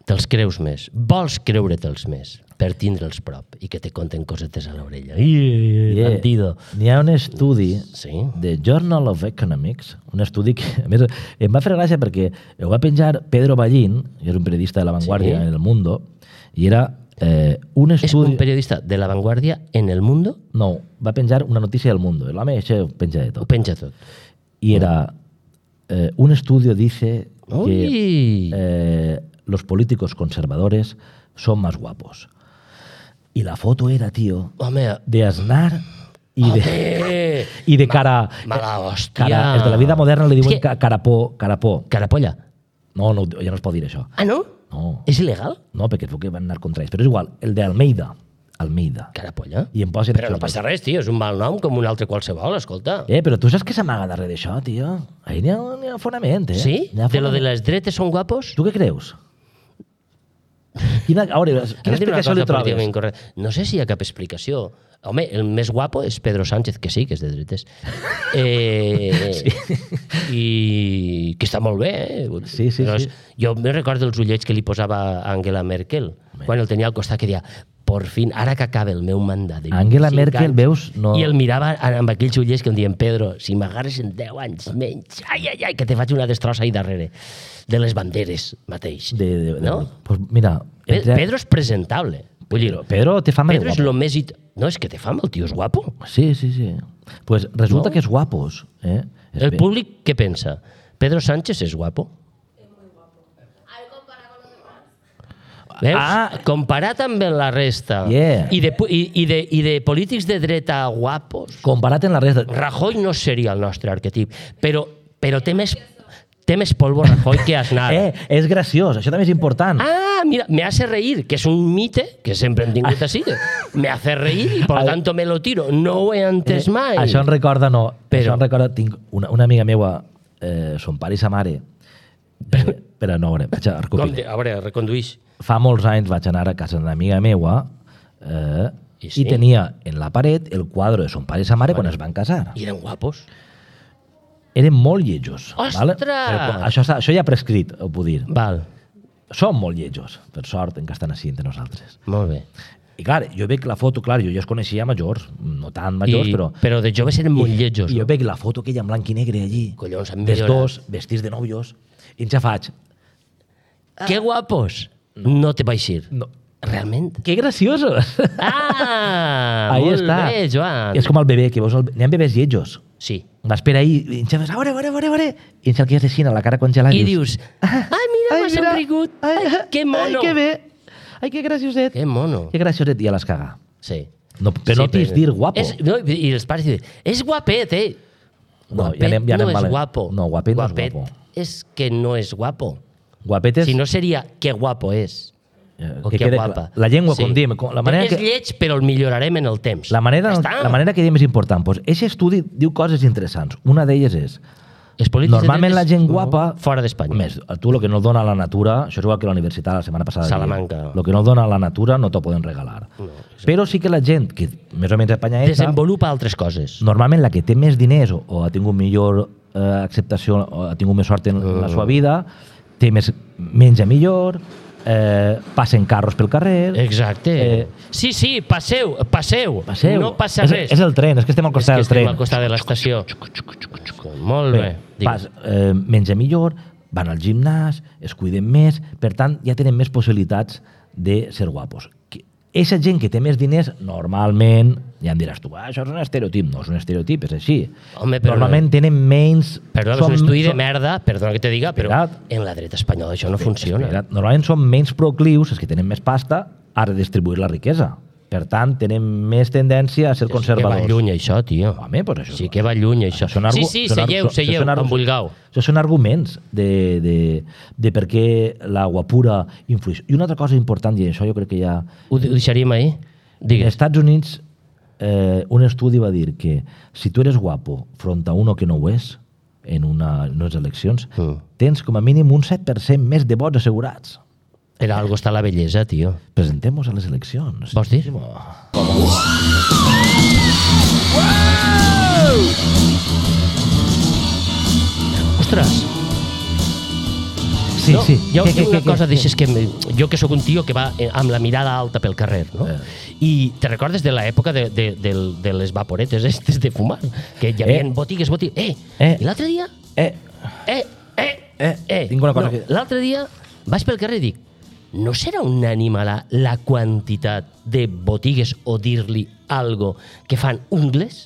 Te'ls creus més. Vols creure-te'ls més per tindre'ls prop i que te conten cosetes a l'orella. I, Yeah. bandido. N'hi ha un estudi Sí. de Journal of Economics, un estudi que, a més, em va fer gràcia perquè ho va penjar Pedro Ballín, que és un periodista de La Vanguardia Sí. en el Mundo, i era eh, un És estudi... un periodista de La Vanguardia en el mundo, No, va penjar una notícia del Mundo. L'home això ho penja de ho tot. penja tot. Y era, eh, un estudio dice que Uy. eh, los políticos conservadores son más guapos. Y la foto era, tío, Home, de Aznar y de, home, y de cara... mala hòstia. cara els de la vida moderna li És diuen que- ca- carapó, carapó. Carapolla. No, no, ja no es pot dir això. Ah, no? No, És il·legal? no perquè es veu que van anar contra ells. Però és igual, el de Almeida. Almeida. Carapolla? I em posen Però això no tot. passa res, tio, és un mal nom com un altre qualsevol, escolta. Eh, però tu saps què s'amaga darrere d'això, tio? Ahí n'hi ha, n'hi ha fonament, eh? Sí? N'hi ha De lo de fonament. les dretes són guapos? Tu què creus? Quina, a veure, quina Ara diré una explicació cosa li trobes? políticament incorrecta. No sé si hi ha cap explicació. Home, el més guapo és Pedro Sánchez, que sí, que és de dretes. Eh, sí. I que està molt bé, eh? Sí, sí, Però sí. Jo me recordo els ullets que li posava Angela Merkel, quan el tenia al costat, que deia, por fin, ara que acaba el meu mandat de Angela vint-i-cinc Merkel, anys", veus, no- I el mirava amb aquells ullets que em diuen, Pedro, si m'agarres en deu anys menys, ai, ai, ai, que te faig una destrossa ahí darrere, de les banderes mateix. De, de, de, no? Pues mira, Pe- entre- Pedro és presentable. Vull dir, Pedro té fama de Pedro és guapo. lo més... It... No, és que té fama, el tio és guapo. Sí, sí, sí. Pues resulta No? que és guapos. Eh? És El bé. públic què pensa? Pedro Sánchez és guapo? Veus? Ah. Comparat amb la resta Yeah. I, de, pu- i, i, de, i de polítics de dreta guapos, Comparat amb la resta... Rajoy no seria el nostre arquetip, però, però té més, té més polvo Rajoy que Aznar. Eh, és graciós, això també és important. Ah, mira, me hace reír, que és un mite que sempre hem tingut així. Me hace reír i por Al- tanto me lo tiro. No ho he entès mai. Eh, Això em recorda, no, Però- això em recorda, tinc una, una amiga meua, eh, son pare i sa mare, eh, però no, a veure, vaig a Com recopilar. de, a veure, reconduïix. Fa molts anys vaig anar a casa d'una amiga meua eh, I i, sí? tenia en la paret el quadre de son pare i sa mare quan es van casar. I eren guapos. Eren molt lletjos. Ostres! Vale? Però, quan- això, està- això ja ha prescrit, ho puc dir. Val, Són molt lletjos, per sort, encara estan així entre nosaltres. molt bé. I clar, jo veig la foto, clar, jo ja els coneixia majors, no tan majors, I, però... però de joves eren molt lletjos. I jo No? veig la foto aquella en blanc i negre allí, Collons, han dels millorat. dos, vestits de nòvios, i ja faig... Que guapos! No te vaig dir. No. Realment? Que graciosos! Ah, Ahí molt està. bé, Joan. És com el bebè, que veus, el... n'hi ha bebès lletjos. Sí. Vas per ahí i ens fas, a veure, a veure, a veure, a veure, i ens el quedes així, a la cara congelada. I dius, ai, mira, m'ha somrigut. Ai, que mono. Ai, que bé. Ai, que gracioset. Que mono. Que gracioset, i a les cagar. Sí. No, però no t'his dir guapo. És, no, I els pares diuen, és guapet, eh? No, Guapet ja anem- ja anem no és valent. guapo. No, guapet no és guapet guapo. és que no és guapo. Guapet és... Si no seria que guapo és. eh, O que que quede guapa. clar. La llengua, com diem, com- la manera és que... lleig, però el millorarem en el temps. La manera, Ja està. la manera que diem és important. Pues, eixe estudi diu coses interessants. Una d'elles és... Els polítics de Normalment la dretes, gent no, guapa... fora d'Espanya. Més, tu el que no et dona la natura, això és igual que la universitat la setmana passada. Salamanca. El que no et dona la natura no t'ho poden regalar. No, Però sí que la gent, que més o menys apanyadeta, Desenvolupa altres coses. normalment la que té més diners o, o ha tingut millor eh, acceptació o ha tingut més sort en Mm. la seva vida, té més, menja millor, eh, passen carros pel carrer... Exacte. Eh, sí, sí, passeu, passeu. Passeu. No passa és, res. És el tren, és que estem al És costat que del estem tren. al costat de l'estació. Molt bé. Digues. Pas, eh, menja millor, van al gimnàs, es cuiden més, per tant, ja tenen més possibilitats de ser guapos. Eixa gent que té més diners, normalment, ja em diràs tu, ah, això és un estereotip. No és un estereotip, és així. Home, però- normalment tenen menys... Perdona, és són- un estudi de són- merda, perdona que te diga, però Espera't. en la dreta espanyola això no funciona. Espera't, normalment són menys proclius, els que tenen més pasta, a redistribuir la riquesa. Per tant, tenen més tendència a ser Que va conservadors. lluny, això, tio. Home, pues això... Sí que va lluny, això. Són argu- Sí, sí, són seieu, argu- seieu, són argu- amb vulgau. Això són arguments de, de, de per què la guapura influeix. I una altra cosa important, i això jo crec que ja... Ho ho deixaríem ahir? En Digues. Estats Units, eh, un estudi va dir que si tu eres guapo front a uno que no ho és, en una, en unes eleccions, Mm. tens com a mínim un set per cent més de vots assegurats. Per algo està la bellesa, tio. Presentem-nos a les eleccions. Vols dir? Ostres! Sí, no, sí. Hi ha, Què, hi ha què, una què, cosa, què? deixes que... me- Jo que sóc un tio que va eh, amb la mirada alta pel carrer, no? Eh. I te recordes de l'època de, de, de, de les vaporetes estes de fumar? Que hi havia Eh. botigues, botigues... Eh! Eh. I l'altre dia... Eh, Eh! Eh! Eh, tinc una cosa no, que- L'altre dia vaig pel carrer i dic, no serà un animalà la quantitat de botigues o dir-li algo que fan ungles?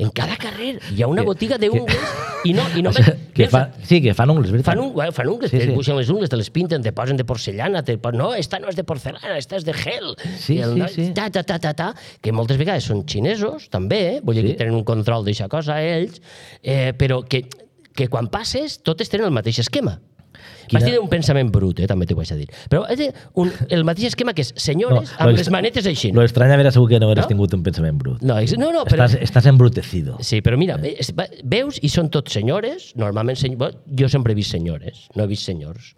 En cada carrer hi ha una Que- botiga d'ungles i no... I no o sigui, que fa, sí, que fan ungles, veritat. Fan, un, bueno, fan ungles, Sí, sí, te sí. dibuixen les ungles, te les pinten, te posen de porcellana, te posen, no, esta no és de porcelana, esta és de gel. Sí, I el sí, noi, sí. Ta, ta, ta, ta, ta, que moltes vegades són xinesos, també, eh? Vull dir Sí. que tenen un control d'aquesta cosa, ells, eh, però que, que quan passes totes tenen el mateix esquema. Quina- Vas tenir un pensament brut, eh, també t'ho vaig a dir. Però és un, el mateix esquema que és senyores No, amb lo les extra- manetes així. Lo extraña haver segur que no hubieras No? tingut un pensament brut. No, és- no, no, però... Estàs, estàs embrutecido. Sí, però mira, es- va- veus i són tots senyores, normalment seny... bueno, jo sempre he vist senyores, no he vist senyors,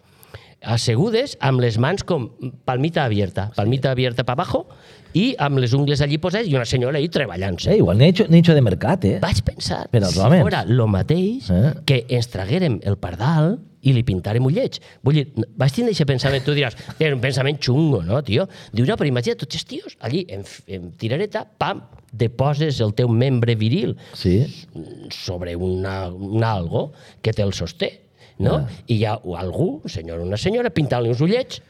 assegudes amb les mans com palmita abierta, palmita abierta para abajo i amb les ungles allí posades i una senyora ahí treballant-se. Eh, igual nicho, nicho de mercat, eh? Vaig pensar, Per als si homes. fora lo mateix, Eh? que ens traguérem el pardal i li pintàrem ullets. Vull dir, vaig tindre aquest pensament, tu diràs, era un pensament xungo, no, tio? Diu, no, però imagina't tots els tios allí, en, en tirareta, pam, deposes el teu membre viril Sí. sobre una, un algo que te el sosté, no? Ah. I hi ha algú, un senyor o una senyora, pintant-li uns ullets,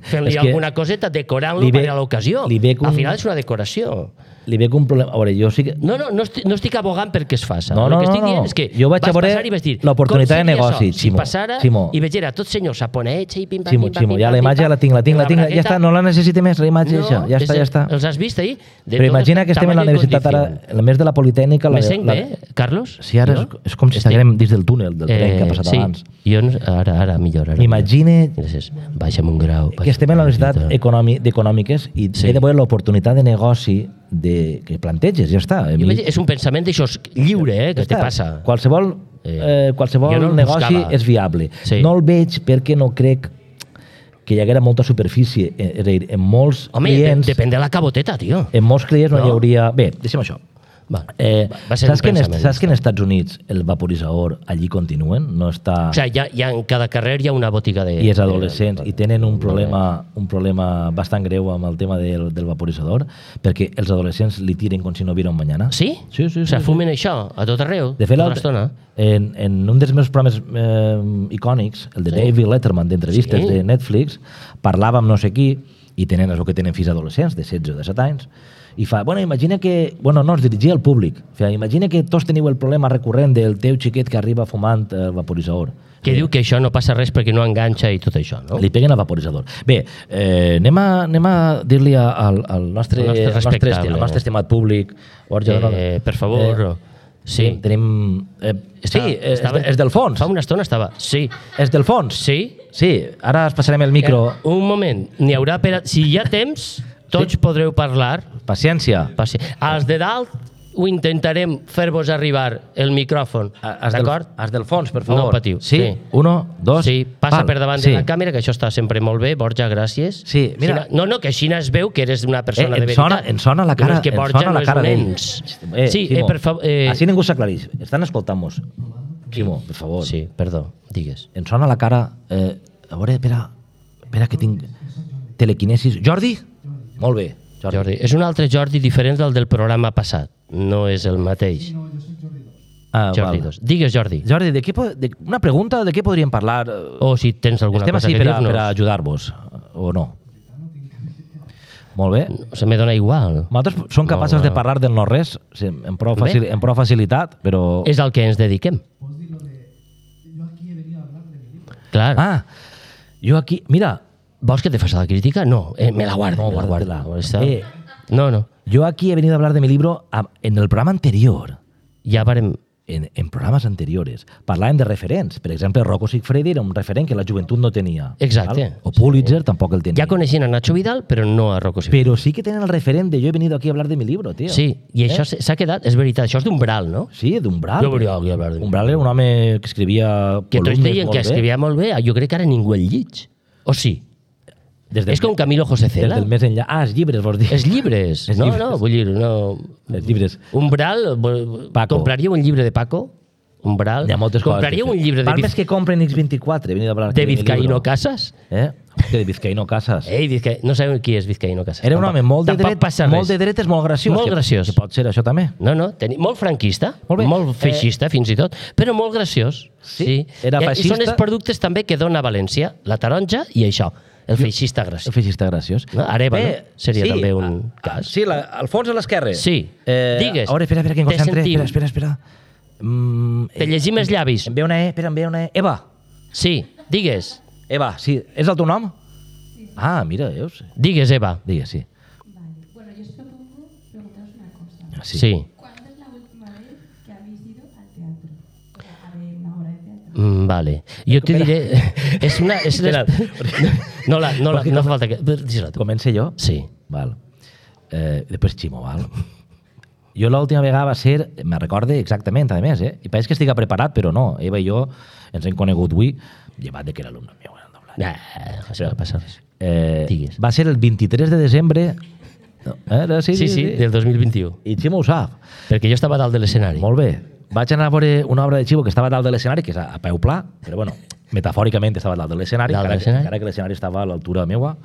fent-li És que alguna coseta, decorant-lo li ve- per a l'ocasió. li ve com- Al final és una decoració. Li veig un problema... A veure, jo sí que... No, no, no estic, no estic abogant perquè es faça. No, El no, que estic no, dient no. és que Jo vaig a veure passar i vaig dir, l'oportunitat com de seria negoci, això? Ximo. Si passara Ximo. i veig era tots senyors saponets i pim-pam, Ximo, pim-pam, Ximo, ja pim-pam, la imatge pim-pam, la tinc, la tinc, la amb tinc, ja bragueta. està, no la necessite més, la imatge No, ja, ja està, és- ja està. Els has vist ahir? De Però totes imagina que estem en la tamany i universitat ara, condició. a més de la Politècnica... Me la, sent la, bé, Carlos? Sí, ara és, Jo? és com si Estic- estiguem dins del túnel, del tren que ha passat sí. abans. Jo no, ara, ara millor. Ara M'imagine millor. Gràcies. Baixa'm un grau. que estem en la Universitat baixa'm un Econòmi- d'Econòmiques i Sí. he de veure l'oportunitat de negoci de, que planteges, ja està. A Jo mi- veig- És un pensament d'això lliure, eh, que ja te està. passa. Qualsevol, Eh, eh, qualsevol jo no el negoci buscava. és viable. Sí. No el veig perquè no crec que hi haguera molta superfície. Eh, És a dir, en molts Home, clients... de, depèn de la caboteta, tio. En molts clients no, No? hi hauria... Bé, deixem això. Va, Eh, va, va ser saps, un que en, est- pensament. saps que en Estats Units el vaporitzador allí continuen? No està... O sigui, ja, ja en cada carrer hi ha una botiga de... I és adolescents, de- i tenen un problema, un problema bastant greu amb el tema del, del vaporitzador, perquè els adolescents li tiren com si no hubiera un mañana. Sí? Sí, sí, O sí, sigui, sí. fumen això a tot arreu, De fet, tota l'altre- l'estona. en, en un dels meus programes eh, icònics, el de Sí. David Letterman, d'entrevistes Sí. de Netflix, parlava amb no sé qui, i tenen això que tenen fills adolescents, de setze o de set anys, i fa, bueno, imagina que... Bueno, no, es dirigia al públic. Fa, imagina que tots teniu el problema recurrent del teu xiquet que arriba fumant el vaporitzador. Que diu que això no passa res perquè no enganxa i tot això, no? Li peguen al vaporitzador. Bé, eh, anem a, anem a dir-li al, al, nostre, Al nostre al, nostre, respectable. al nostre estimat públic, Borja Eh, Donada. per favor, sí. Tenim... tenim eh, sí, Estava- és, estava- és del fons. Fa una estona estava... Sí. És del fons. Sí? Sí, ara es passarem el micro. Eh, un moment. N'hi haurà per... a- Si hi ha temps, tots Sí. podreu parlar. Paciència. Passi. Els de dalt ho intentarem fer-vos arribar el micròfon. Has del, D'acord? has del fons, per favor. No patiu. Sí, Sí. uno, dos... Sí, passa pal. per davant sí. de la càmera, que això està sempre molt bé. Borja, gràcies. Sí, mira- Xina- No, no, que així es veu que eres una persona Eh, de em, veritat. sona, em sona la Que no cara, és que em Borja sona no la és cara un d'ell. ens. Eh, Sí, Ximo, eh, per favor... Eh, Així ningú s'aclareix. Estan escoltant-nos. Ximo, per favor. Sí, perdó, digues. Em sona la cara... Eh, a veure, espera, espera que tinc telequinesis. Jordi? Molt bé, Jordi. Jordi. És un altre Jordi diferent del del programa passat. No és el mateix. Ah, Jordi val. dos. Digues, Jordi. Jordi, de què, po- de, una pregunta, de què podríem parlar? O si tens alguna Estem cosa així que per, a, dir-nos. per a ajudar-vos, o no? Molt bé. Se me dona igual. Nosaltres som capaços Molt de bé. parlar del no-res sí, amb, prou Bé. facil, amb prou facilitat, però... És al que ens dediquem. Clar. Ah, jo aquí... Mira, Vols que te faci la crítica? No, eh, me la guardo. no, me la guardo. guarda-te-la. Està- Eh, No, no. Yo aquí he venido a hablar de mi libro a- en el programa anterior. Ja varem... En, en programes anteriores. Parlàvem de referents. Per exemple, Rocco Siffredi era un referent que la joventut no tenia. Exacte. Val? O Pulitzer tampoc el tenia. Ja coneixien a Nacho Vidal, però no a Rocco Siffredi. Però sí que tenen el referent de yo he venido aquí a hablar de mi libro, tío. Sí, i això Eh? s'ha quedat, és veritat, això és d'Umbral, no? Sí, d'Umbral. Jo volia hablar de mi Umbral era un home que escrivia Que tots columnes deien molt que bé. escrivia molt bé, jo crec que ara ningú el llig. O sí? Des del, És com Camilo José des Cela. del més enllà. Ah, els llibres, vols dir. Els llibres. Els No, llibres. no, vull dir, no... Els llibres. Umbral, vol- Paco. compraríeu un llibre de Paco? Umbral. Hi ha moltes compraríeu coses. un llibre de, Val Viz... més que compren X vint-i-quatre. He venido a hablar aquí de mi Vizcaíno libro. Casas? Eh? Que de Vizcaíno Casas. Ei, Vizca... no sabeu qui és Vizcaíno Casas. Era un home molt de, tampoc dret, passa molt res. de dretes, molt graciós. Molt que- graciós. Que pot ser això també. No, no, teni... molt franquista, Molt bé. molt feixista, eh... fins i tot, però molt graciós. Sí, era I- feixista. I són els productes també que dona València, la taronja i això, el feixista El graciós. feixista graciós. No? Areva, no? Seria sí, també un a- cas. Sí, la, al fons a l'esquerra. Sí. Eh, Digues. A veure, espera, espera, que em Te concentre. sentim. Espera, espera, espera. Mm, Te llegim els llavis. Em ve una E, espera, em ve una E. Eva, Sí, digues. Eva, sí. És el teu nom? Ah, mira, veus? Digues, Eva. Digues, sí. Vale. Bueno, yo os propongo preguntaros una cosa. Sí. Sí. ¿Cuándo es la última vez que habéis ido al teatro? O sea, a ver una obra de teatro. Mm, vale. Jo te diré... és una... És Espera. no, la, no, la, no fa falta que... Dis-la tu. Comence jo? Sí. Val. Eh, després Ximo, val? Jo l'última vegada va ser, me recorde exactament, a més, eh? I pareix que estic preparat, però no. Eva i jo ens hem conegut avui, llevat de que era alumne meu. Nah, això no passa res. Eh, Digues. va ser el vint-i-tres de desembre... No, eh? sí, Sí, sí, del dos mil vint-i-u. I Ximo ho sap. Perquè jo estava dalt de l'escenari. Molt bé. Vaig anar a veure una obra de Ximo que estava dalt de l'escenari, que és a, a peu pla, però bueno, metafòricament estava dalt de l'escenari, Dalt de encara, que- l'escenari. encara que l'escenari estava a l'altura meua.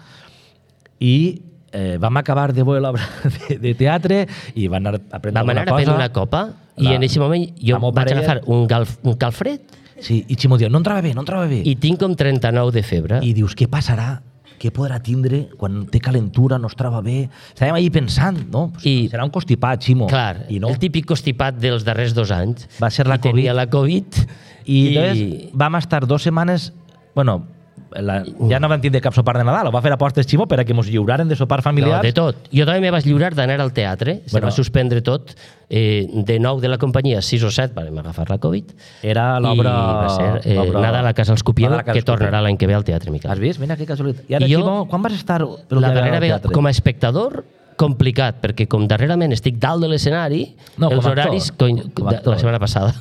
I eh, vam acabar de veure l'obra de, de teatre i van anar a prendre Vam anar alguna a prendre cosa. una copa i La- en aquest moment jo la meu vaig parella- agafar un, galf, un calfred Sí, i Ximo diu, no entrava bé, no entrava bé. i tinc com trenta-nou de febre. I dius, què passarà? Què podrà tindre quan té calentura, no es troba bé? Estàvem allí pensant, no? I- Serà un constipat, Ximo. Clar, I no. el típic constipat dels darrers dos anys. Va ser la I tenia Covid. la Covid. I, I llavors vam estar dues setmanes... Bueno, la, ja no vam tindre cap sopar de Nadal, ho va fer apostes Ximo per a que mos lliuraren de sopar No, familiars. de tot. Jo també me vaig lliurar d'anar al teatre, se Bueno. va suspendre tot. Eh, de nou de la companyia, sis o set, vam agafar la Covid. Era I l'obra... va ser eh, l'obra- Nadal a Casa els Copieu, Nadal a Casa que els Copieu. tornarà l'any que ve al Teatre Miquel. Has vist? Mira que casualitat. I ara, I jo- Ximo, quan vas estar per La darrera vegada, com a espectador, complicat, perquè com darrerament estic dalt de l'escenari, No, els com a actor. horaris... Cony, Com a de, actor. la setmana passada,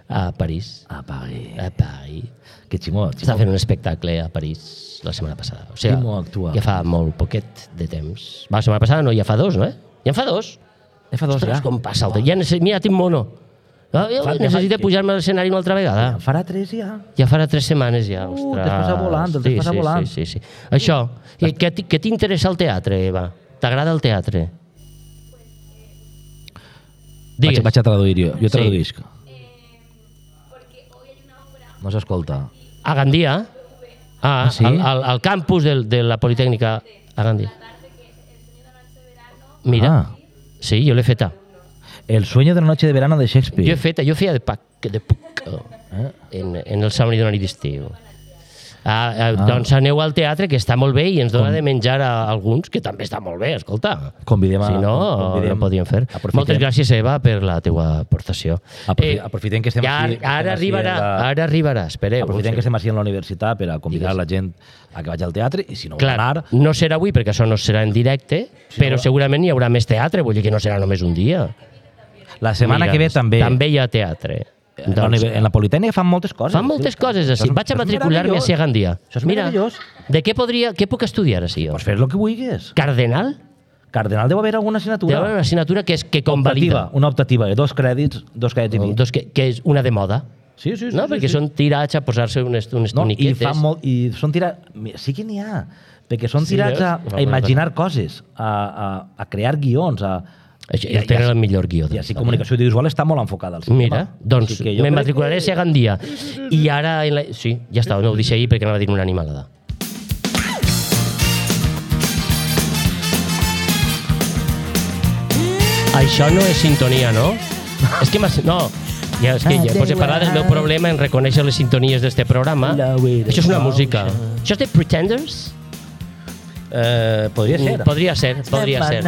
a París. Ah, pague. A París. Que Ximo, Estava Ximo. fent un espectacle a París la setmana passada. O sigui, Ximo actua. ja fa molt poquet de temps. Va, la setmana passada no, ja fa dos, no? Eh? Ja en fa dos. Ja fa dos, Ostres, ja. com passa el temps. Ja necess... Mira, tinc mono. Ah, jo Fa- necessito fa- pujar-me a l'escenari una altra vegada. En farà tres ja. Ja farà tres setmanes ja. Uh, Ostres. el temps passa volant, el temps sí, passa sí, volant. Sí, sí, sí. Això, què, què t- què t'interessa el teatre, Eva? T'agrada el teatre? Vaig, Digues. vaig a traduir jo. Jo Sí. traduïsc. No s'escolta. A Gandia? Ah, Ah, sí? al, al, al campus del, de la Politécnica a Gandia. Mira, Ah, sí, jo l'he feta. El sueño de la noche de verano de Shakespeare. Jo he feta, jo feia de, pac, de puc Eh? en, en el somni d'una nit d'estiu. Ah, ah, Ah. doncs aneu al teatre, que està molt bé, i ens dona de menjar a alguns, que també està molt bé, escolta. Convidem a... Si no, convidem- no podíem fer. aprofitem- Moltes gràcies, Eva, per la teua aportació. Aprofi- aprofitem que estem ja, aquí- que Ara estem així arribarà, en la- ara arribarà, espereu. Aprofitem que estem així en la universitat per a convidar Digues. la gent a que vagi al teatre i si no vol Clar, anar... no serà avui perquè això no serà en directe, però segurament hi haurà més teatre, vull dir que no serà només un dia. La setmana Mira, que ve també. També hi ha teatre. En la, Doncs, univer- en la Politècnica fan moltes coses. fan moltes coses Això així. és- Vaig a això és matricular-me meravellós. a Gandia. Això és Mira, meravellós. de què podria, què puc estudiar així jo? Pues fes el que vulguis. Cardenal? Cardenal deu haver alguna Deu assignatura. haver una assignatura que és que Optativa, convalida. una optativa de dos crèdits, dos crèdits i mig. Dos que, que és una de moda. Sí, sí, sí. No? sí, Perquè sí. són tirats a posar-se unes, unes No, i, tuniquetes. fan molt, i són tirats... Sí que n'hi ha, perquè són Sí, tirats a, veus? a imaginar coses, a, a, a crear guions, a... Això, I- I, tenen i- el millor guió. I de així la comunicació audiovisual està molt enfocada al cinema. Mira, doncs Així que jo me crec matricularé que- a Gandia. I ara... En la... Sí, ja està, no ho deixo ahir perquè anava a dir una animalada. Això no és sintonia, no? És que m'has... No, ja, és que ja pues he parlat del meu problema en reconèixer les sintonies d'este programa. Això és una música. Això és de Pretenders? Eh, podria ser. Podria ser, podria ser.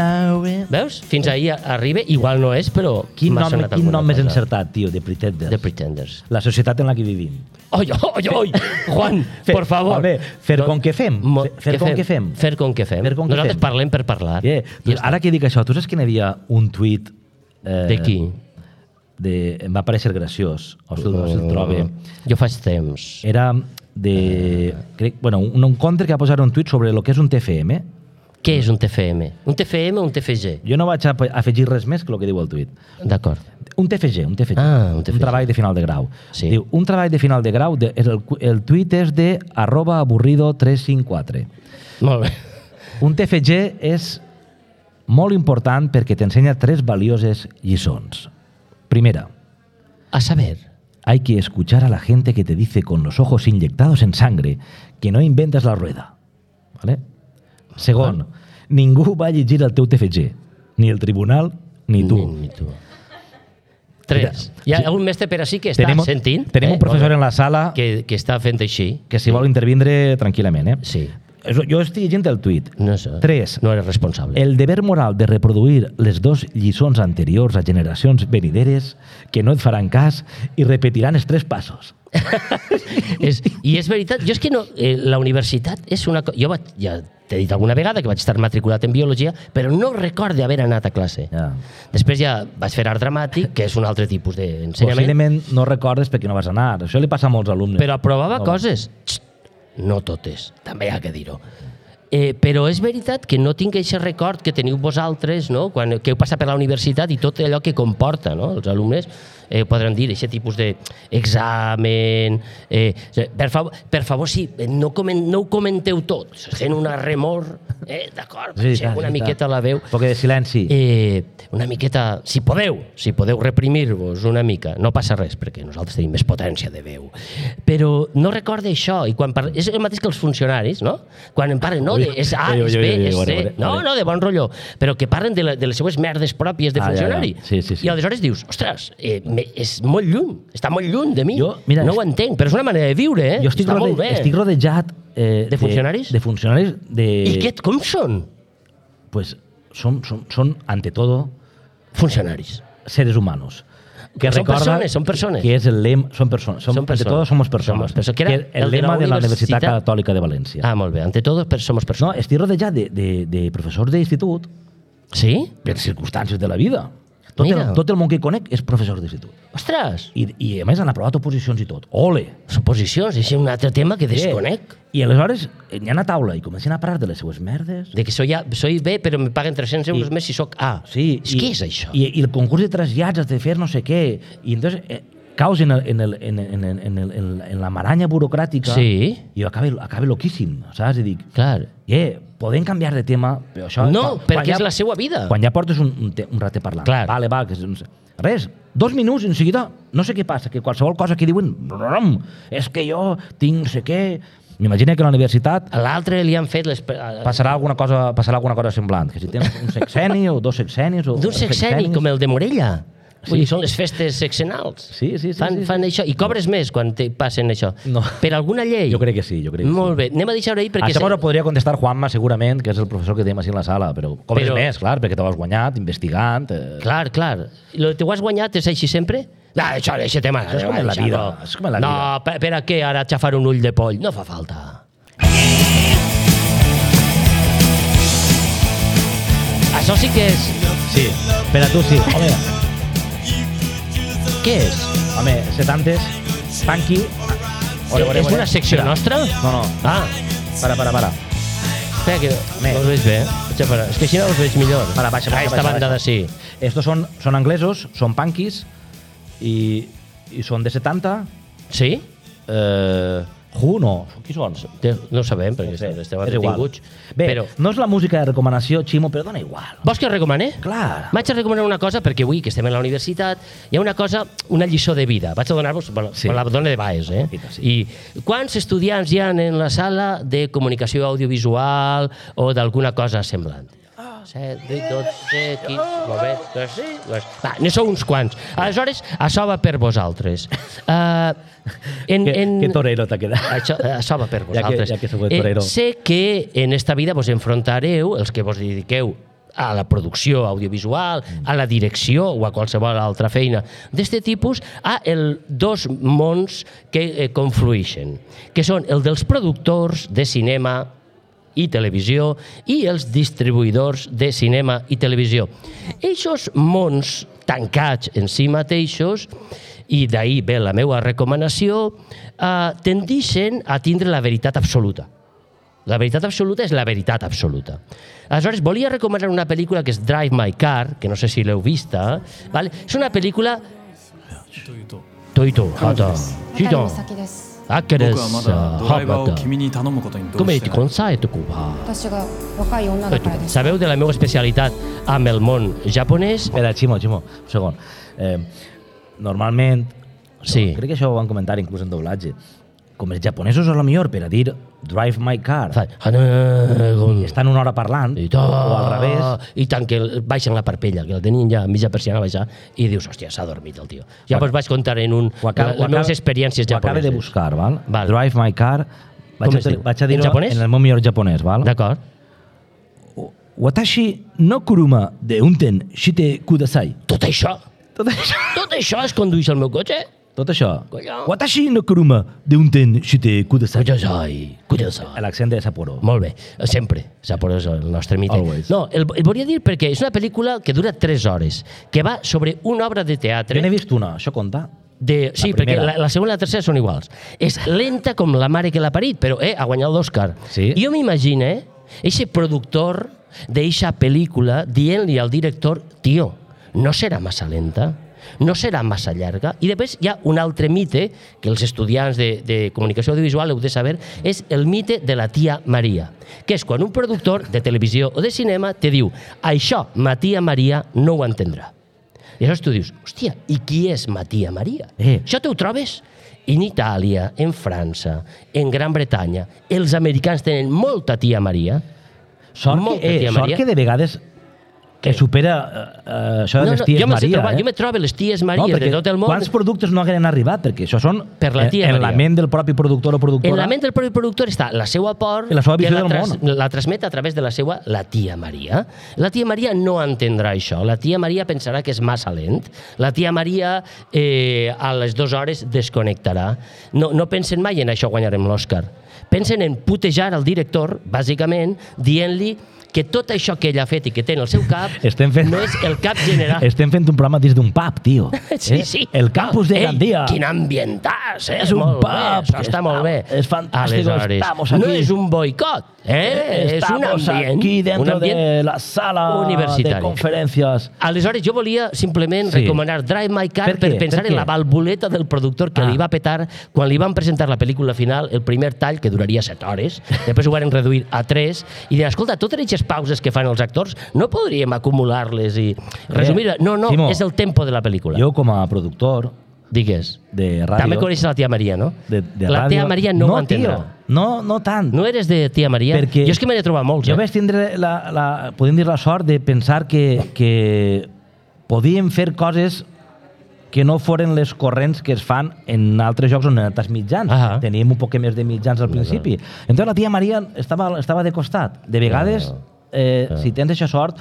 Veus? Fins ahir arriba, igual no és, però Quin m'ha nom, sonat quin alguna nom més cosa. encertat, tio, de Pretenders. The Pretenders. La societat en la que vivim. Oi, oi, oi! Juan, por favor. Home, fer com que fem. Mo- Fer què com que fem. Fer com que fem. Fer com que Nosaltres fem. parlem per parlar. Yeah. Ja està. Ara que dic això, tu saps que n'hi havia un tuit... Eh, De qui? De, em va parecer graciós, o si, o si el trobe. Jo faig temps. Era de... Crec, bueno, un, un compte que va posar un tuit sobre el que és un T F M. Què és un T F M? Un T F M o un T F G? Jo no vaig a afegir res més que el que diu el tuit. D'acord. Un T F G, un T F G. Ah, un T F G. Un treball de final de grau. Sí. Diu, un treball de final de grau, de, el, el tuit és de arroba aburrido tres cinc quatre. Molt bé. Un T F G és molt important perquè t'ensenya tres valioses lliçons. Primera, A saber, hay que escuchar a la gente que te dice con los ojos inyectados en sangre que no inventes la rueda. ¿Vale? Segon, ningú va llegir el teu T F G, ni el tribunal ni tu. Ni, ni tu. Tres. Hi ha Sí. algun mestre per així que està Tenim, sentint? tenim un professor en la sala que, que, que està fent així. que si vol intervindre tranquil·lament. Eh? Sí. Eso- Jo estic llegint el tuit. No sé. Tres. No eres responsable. El deber moral de reproduir les dos lliçons anteriors a generacions venideres que no et faran cas i repetiran els tres passos. és, I és veritat, jo és que no, eh, la universitat és una cosa... Jo vaig, ja t'he dit alguna vegada que vaig estar matriculat en biologia, però no recordo haver anat a classe. Ja. Després ja vaig fer art dramàtic, que és un altre tipus d'ensenyament, Possiblement no recordes perquè no vas anar. Això li passa a molts alumnes. però aprovava No. coses. Xt, no totes, també hi ha que dir-ho. Eh, però és veritat que no tinc aquest record que teniu vosaltres, no? Quan, que heu passat per la universitat i tot allò que comporta, no? Els alumnes eh, podran dir aquest tipus d'examen... Eh, per, favor, per favor, sí, no, coment, no ho comenteu tot, fent una remor, eh, d'acord, Sí, sí, clar, una sí, miqueta clar. la veu. Un poc de silenci. Eh, una miqueta, si podeu, si podeu reprimir-vos una mica, no passa res, perquè nosaltres tenim més potència de veu. Però no recorda això, i quan parla, és el mateix que els funcionaris, no? Quan em parlen, no, de, és A, Ui, ui, és ui, B, ui, és veure, C, veure, no, veure. no, de bon rotllo, però que parlen de, la, de les seues merdes pròpies de Ah, ja, ja. funcionari. Sí, sí, sí. I aleshores dius, ostres, eh, me, és molt lluny, està molt lluny de mi. Jo, mira, no est- ho entenc, però és una manera de viure, eh? Jo estic, està rode, molt bé. estic rodejat... Eh, De funcionaris? De, de funcionaris de... I què, com són? Pues son, son, son, ante todo, Funcionaris. seres humanos. Que Son recorda persones, son persones. Que és el lema... Son persones. Som, Son ante persones. todo somos personas. Somos personas. Que era Que el, el de la lema de la Universitat Universitat Catòlica de València. Ah, molt bé. Ante todo, per- somos No, persones. estic rodejat de, de, de professors d'institut Sí? per circumstàncies de la vida. Tot Mira. el, tot el món que conec és professor d'institut. Ostres! I, I a més han aprovat oposicions i tot. Ole! Suposicions, és un altre tema que desconec. I aleshores n'hi ha a taula i comencen a parlar de les seues merdes. De que soy, a, soy B, però me paguen tres-cents euros I- més si sóc A. Sí. És, què és això? I, I el concurs de trasllats has de fer no sé què. I entonces eh, caus en, el, en, el, en, en, en, en, el, en, en la maranya burocràtica Sí. i jo acabe, acabe loquíssim, saps? I dic, Clar. eh, podem canviar de tema, però això... No, perquè és la seva vida. Quan ja portes un, un, te, un ratet parlant. Clar. Vale, va, que, és- res, dos minuts i en seguida, no sé què passa, que qualsevol cosa que diuen, brum, és que jo tinc no sé què... M'imagino que a la universitat A l'altre li han fet les... passarà alguna cosa, passarà alguna cosa semblant, que si tens un sexeni o dos sexenis... O D'un tres sexeni, com el de Morella. Sí. Vull dir, són les festes sexenals. Sí, sí, sí, Fan, sí, sí. fan això. I cobres més quan te passen això. No. Per alguna llei? Jo crec que sí, jo crec que Molt sí. bé. Anem a deixar-ho ahir perquè... Això se- m'ho podria contestar Juanma, segurament, que és el professor que tenim així en la sala, però cobres Però- més, clar, perquè t'ho has guanyat, investigant... Eh... Clar, clar. I lo que t'ho has guanyat és així sempre? No, això, això tema. Això és com en la vida, és com en la no, vida. per, per a què ara xafar un ull de poll? No fa falta. Això sí que és... Sí, per a tu sí. Home, Què és? home, setantes, punky... Ore, ore, és ore. una secció Espera. nostra? No, no, Ah, para, para, para. espera, que Home. no els veig bé. Vaig a parar. És que així no els veig millor. Para, baixa, Ah, baixa, esta baixa, banda baixa. de sí. Estos son, son anglesos, son punkis, i, i són de setanta. Sí? Eh, Who, no. Qui són? No ho sabem, perquè No sé, estem és igual. entretinguts. Bé, Però, no és la música de recomanació, Ximo, però dona igual. vols que recomane? Clar. Vaig a recomanar una cosa, perquè avui que estem a la universitat, hi ha una cosa, una lliçó de vida. Vaig a donar-vos, bueno, Sí. sí. la dona de Baes, eh? I tant, sí. I quants estudiants hi ha en la sala de comunicació audiovisual o d'alguna cosa semblant? set, vuit, dotze, quinze, molt bé, dos, dos. Va, ne sou uns quants. Aleshores, això va per vosaltres. Uh, en, Que, en... que torero t'ha quedat. Això, això va per Ja que- vosaltres. ja que sou de torero. Eh, sé que en esta vida vos enfrontareu, els que vos dediqueu a la producció audiovisual, a la direcció o a qualsevol altra feina d'este tipus, a el dos mons que eh, confluïxen, que són el dels productors de cinema i televisió i els distribuïdors de cinema i televisió. Eixos mons tancats en si mateixos, i d'ahir ve la meva recomanació, eh, tendixen a tindre la veritat absoluta. La veritat absoluta és la veritat absoluta. Aleshores, volia recomanar una pel·lícula que és Drive My Car, que no sé si l'heu vista. Vale? És una pel·lícula... Toito, hata. Chito. 先です。あっけで僕はますだドライバーを君に頼むことにどう Com し et て consai tu cuba? 私が若い女だからです。 Sabeu de la meva especialitat amb el món japonès? Espera, Ximo, Ximo, un segon. Eh, normalment, Sí. crec que això ho van comentar inclús en doblatge, com els japonesos són la millor per a dir Drive My Car, Fa- Hanegon. estan una hora parlant, I, o al revés, I tant que el- baixen la parpella, que el tenien ja a mitja persiana baixar, i dius, hòstia, s'ha dormit el tio. Ja vos vaig contar en un, ho acaba, les meves experiències ho acabe japoneses. de buscar, val? Val. Drive My Car, vaig, Com a, es diu? vaig a En dir-ho japonès? en el meu millor japonès, val? D'acord. Watashi no kuruma de unten shite kudasai. Tot això, Tot això. tot això es condueix al meu cotxe? Tot això. Collons. Watashi no kuruma de unten shite kudasai. Kudasai, kudasai. L'accent de Sapporo. Molt bé, sempre. Sapporo és el nostre mite. Always. No, el, el volia dir perquè és una pel·lícula que dura tres hores, que va sobre una obra de teatre... Jo n'he vist una, això compta? De, sí, La perquè primera. la, la segona i la tercera són iguals. És lenta com la mare que l'ha parit, però eh, ha guanyat l'Òscar. Sí. Jo m'imagino, eh, eixe productor d'eixa pel·lícula dient-li al director, tio, no serà massa lenta? No serà massa llarga? I després hi ha un altre mite que els estudiants de, de comunicació audiovisual heu de saber, és el mite de la tia Maria, que és quan un productor de televisió o de cinema te diu, això ma tia Maria no ho entendrà. I llavors tu dius, hòstia, i qui és ma tia Maria? Eh. Això te ho trobes en Itàlia, en França, en Gran Bretanya. Els americans tenen molta tia Maria. Sort, Molta que, eh, tia sort Maria. que de vegades que supera eh, eh, això de No, les no, ties jo, me'ls he Maria. trobat, eh? jo me trobo les ties Maries perquè de tot el món. Quants productes no hagueren arribat? Perquè això són Per la tia en, en la Maria. ment del propi productor o productora. En la ment del propi productor està la seva por I la seva que visió la, del món. la transmet a través de la seva la tia Maria. La tia Maria no entendrà això. La tia Maria pensarà que és massa lent. La tia Maria eh, a les dues hores desconnectarà. No, no pensen mai en això guanyarem l'Òscar. Pensen en putejar al director, bàsicament, dient-li que tot això que ell ha fet i que té en el seu cap Estem fent- no és el cap general. Estem fent un programa dins d'un pub, tio. Sí, Eh? sí. El campus de Ei, Gandia. Quin ambientàs, eh? És un Molt pub, bé, això està molt bé. és fantàstico, Aleshores, estamos no aquí. és un boicot, eh? És un Estamos ambient, aquí un dentro ambient de la sala universitari. de conferencias. Aleshores, jo volia simplement Sí. recomanar Drive My Car Per per, què? pensar Per en què? la valvuleta del productor que Ah. li va petar quan li van presentar la pel·lícula final, el primer tall, que duraria set hores, després ho van reduir a tres, i deien, escolta, totes aquestes pauses que fan els actors, no podríem acumular-les i resumir... No, no, Ximo, és el tempo de la pel·lícula. Jo, com a productor Digues. de ràdio... També coneixes la tia Maria, no? de, de la ràdio, tia Maria no, ho entendrà. Tio, no, no tant. No eres de tia Maria? Perquè jo és que me n'he trobat molts, Jo eh? vaig tindre la, la, podem dir la sort de pensar que, que podíem fer coses que no foren les corrents que es fan en altres jocs o en altres mitjans. Ah. Teníem un poc més de mitjans al principi. Entonces la tia Maria estava, estava de costat. De vegades, eh, si tens aquesta sort,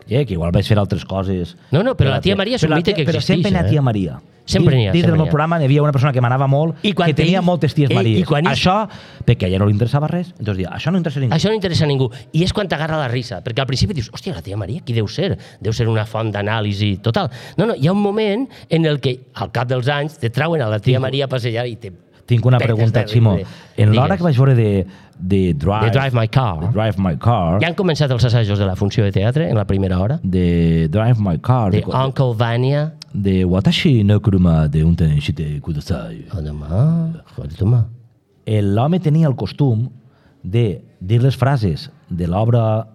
eh, que igual vaig fer altres coses... No, no, però la tia Maria és un Però la mite tia- que Però existeix, sempre n'hi ha eh? tia Maria. Sempre n'hi ha, Dins sempre del meu n'hi ha. programa n'hi havia una persona que m'anava molt, I quan que tenia ells- moltes ties Ei, i Maries. quan ells- Això, perquè a ella no li interessava res, entonces dia, això no interessa a ningú. Això no interessa a ningú. I és quan t'agarra la risa, perquè al principi dius, hòstia, la tia Maria, qui deu ser? Deu ser una font d'anàlisi total. No, no, hi ha un moment en el que, al cap dels anys, te trauen a la tia Maria a passejar i te... Tinc una petes pregunta, de Ximo. riure. En l'hora Digues. que vaig veure de, de Drive, De Drive My Car. de Drive My Car, Ja han començat els assajos de la funció de teatre en la primera hora? de Drive My Car, De de, Uncle Vanya. de Watashi no kuruma de unten shite kudasai. Oh, demà, joder, toma. L'home tenia el costum de dir les frases de l'obra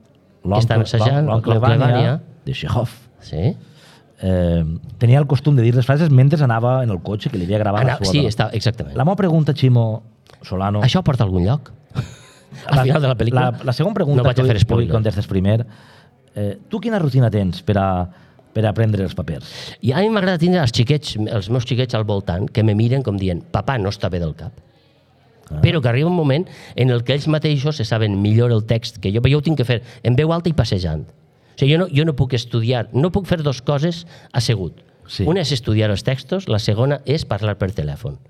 estan assajant, l'Oncle l'Oncle Vanya, Vanya. de Chekhov. Sí? Eh, tenia el costum de dir les frases mentre anava en el cotxe, que li havia gravat Ana, la seva sí, dona. està, exactament. La meva pregunta, Ximo Solano... Això porta a algun lloc? Al final de la pel·lícula? La, la segona pregunta, No vaig a fer tu, tu spoiler. contestes primer. Eh, tu quina rutina tens per a, per a prendre els papers? I a mi m'agrada tindre els xiquets, els meus xiquets al voltant, que me miren com dient, papà, no està bé del cap. Ah. Però que arriba un moment en el que ells mateixos se saben millor el text que jo, però jo ho tinc que fer en veu alta i passejant. O sigui, jo no, jo no puc estudiar, no puc fer dues coses assegut. Sí. Una és estudiar els textos, la segona és parlar per telèfon.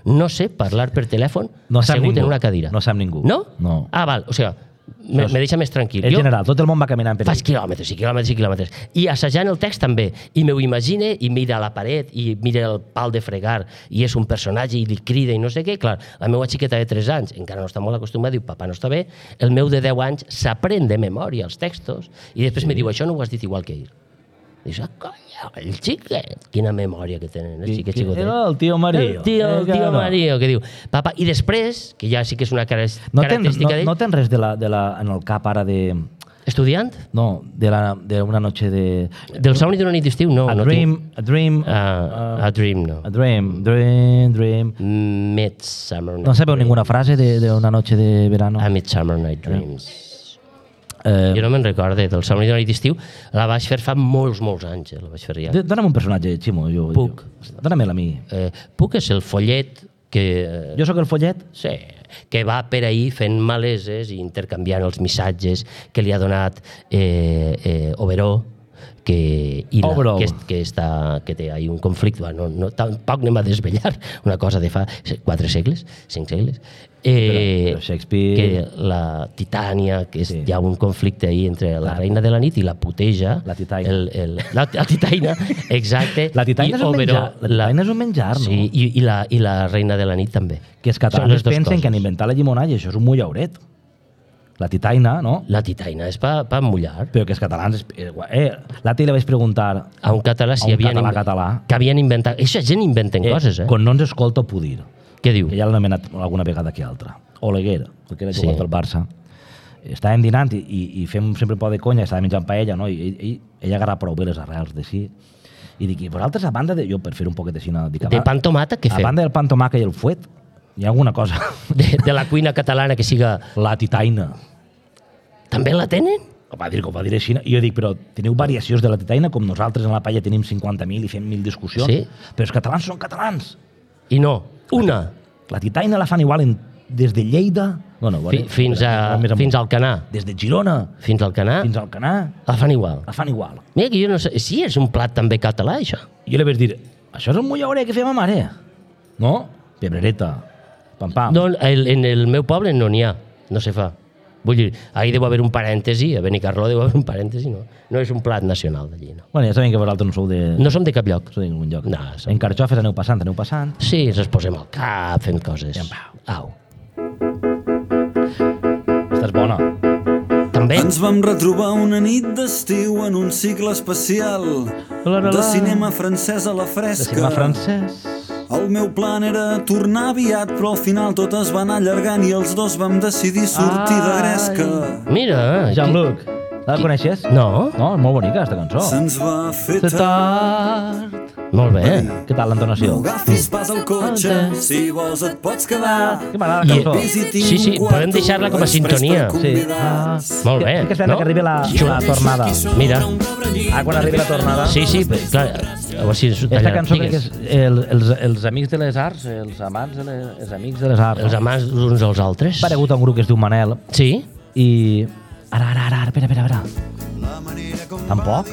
No sé parlar per telèfon no assegut ningú. en una cadira. No sap ningú. No? No. Ah, val, o sigui, me, me deixa més tranquil. En Jo general, tot el món va caminant per faig ell. quilòmetres i quilòmetres i quilòmetres. I assajant el text també. I m'ho imagine i mira a la paret i mira el pal de fregar i és un personatge i li crida i no sé què. Clar, la meva xiqueta de tres anys encara no està molt acostumada, diu, papà, no està bé. El meu de deu anys s'aprèn de memòria els textos i després sí. me diu, això no ho has dit igual que ell. Dius, ah, conya, el xiquet. Quina memòria que tenen els xiquets xicotets. Era el tio Mario. El tio, el tio Mario, que diu, papa, i després, que ja sí que és una cara- No tens, característica no, d'ell, no tens res de la, de la, en el cap ara de... estudiant, No, de, la, de una noche de... del somni d'una nit d'estiu, no. a, no dream, tinc. a dream... Uh, a Dream, no. A dream, dream, dream... Midsummer Night No sabeu Dream. ninguna frase de, de una noche de verano? A Midsummer Night Dreams. Eh, Jo no me'n recorde del somni d'una nit d'estiu. La vaig fer fa molts, molts anys. Eh? La vaig fer ja. d- Dóna'm un personatge, Ximo. Jo, Puc. Jo, Dóna-me'l a mi. Eh, Puc és el follet que... eh, Jo sóc el follet? Sí, que va per ahir fent maleses i intercanviant els missatges que li ha donat eh, eh, Oberó, que, i la, Oberó. que, est- que, està, que té ahí un conflicte, bueno, no, tampoc anem a desvetllar una cosa de fa quatre segles, cinc segles, eh, Però- però Shakespeare- que la Titània, que és, Sí. hi ha un conflicte ahí entre la La- reina de la nit i la puteja. La titaina. El, el, la, la titaina, exacte. La titaina I és un Oberó, menjar, la titaina és un menjar, no? Sí, i, i, la, i la reina de la nit també. Que els Són catalans les dues pensen coses. que han inventat la llimonada i això és un mullauret. La titaina, no? La titaina és per pa mullar. Però que els catalans... Eh, eh, l'altre dia li vaig preguntar A un català si a un havien català inven- català que havien inventat... Eixa gent inventen eh, coses, eh? quan no ens escolta Pudir, Què diu? que ja l'han anomenat alguna vegada que altra. Oleguer, perquè era Sí. jugat pel Barça. Estàvem dinant i, i, i fem sempre un poc de conya, estàvem menjant paella, no? I ell, ell, ell agarra prou bé les arrels de sí. I dic, i vosaltres, a banda de... Jo, per fer un poquet de cina... Dic, a De ba- pan tomata, què A fem? banda del pan tomaca i el fuet, hi ha alguna cosa. De, de la cuina catalana que siga... La titaina. També la tenen? Ho va dir, ho va dir així. I jo dic, però teniu variacions de la titaina, com nosaltres en la paella tenim cinquanta mil i fem mil discussions. Sí. Però els catalans són catalans. I no, una. La titaina la fan igual en, des de Lleida... Bueno, Fi, fins, a, fins al Canà. Des de Girona Fins al Canà fins al Canà la fan igual. la fan igual. Mira que jo no sé... Sí, és un plat també català, això. Jo li vaig dir, això és un mullaure que fem a mare. No? Pebrereta, pam-pam. No, el, en el meu poble no n'hi ha, no se fa. Vull dir, ahir deu haver un parèntesi, a Benicarló deu haver un parèntesi, no. No és un plat nacional d'allí, no. Bueno, ja sabem que vosaltres no sou de... No som de cap lloc. sou de ningú lloc. No, som- En carxofes aneu passant, aneu passant. Sí, ens els posem al cap fent coses. I en pau. Au. Esta és bona. També? Ens vam retrobar una nit d'estiu en un cicle especial La, la, la. de cinema francès a la De fresca. cinema francès. El meu plan era tornar aviat, però al final tot es va anar allargant i els dos vam decidir sortir de gresca. Mira. Jean-Luc, la coneixes? No? No, és molt bonica, aquesta cançó. Se'ns va fer Se tard. tard. Molt bé. Què tal l'entonació? No agafis pas al cotxe, si vols et pots quedar. Que m'agrada I- la cançó. Visitin Sí, sí, un quarto, podem deixar-la com a és prest per sintonia. Sí. Ah, convidats. Molt bé, Estic esperant no? que arribi la, la tornada. Mira. Ah, quan arribi la tornada. Sí, sí, però, clar, a veure si... Esta cançó crec que és el, els, els amics de les arts, els amants de les, els amics de les arts. Els amants uns als altres. Ha aparegut un grup que es diu Manel Sí? i... Ara, ara, ara, ara, espera, espera, espera. Tampoc?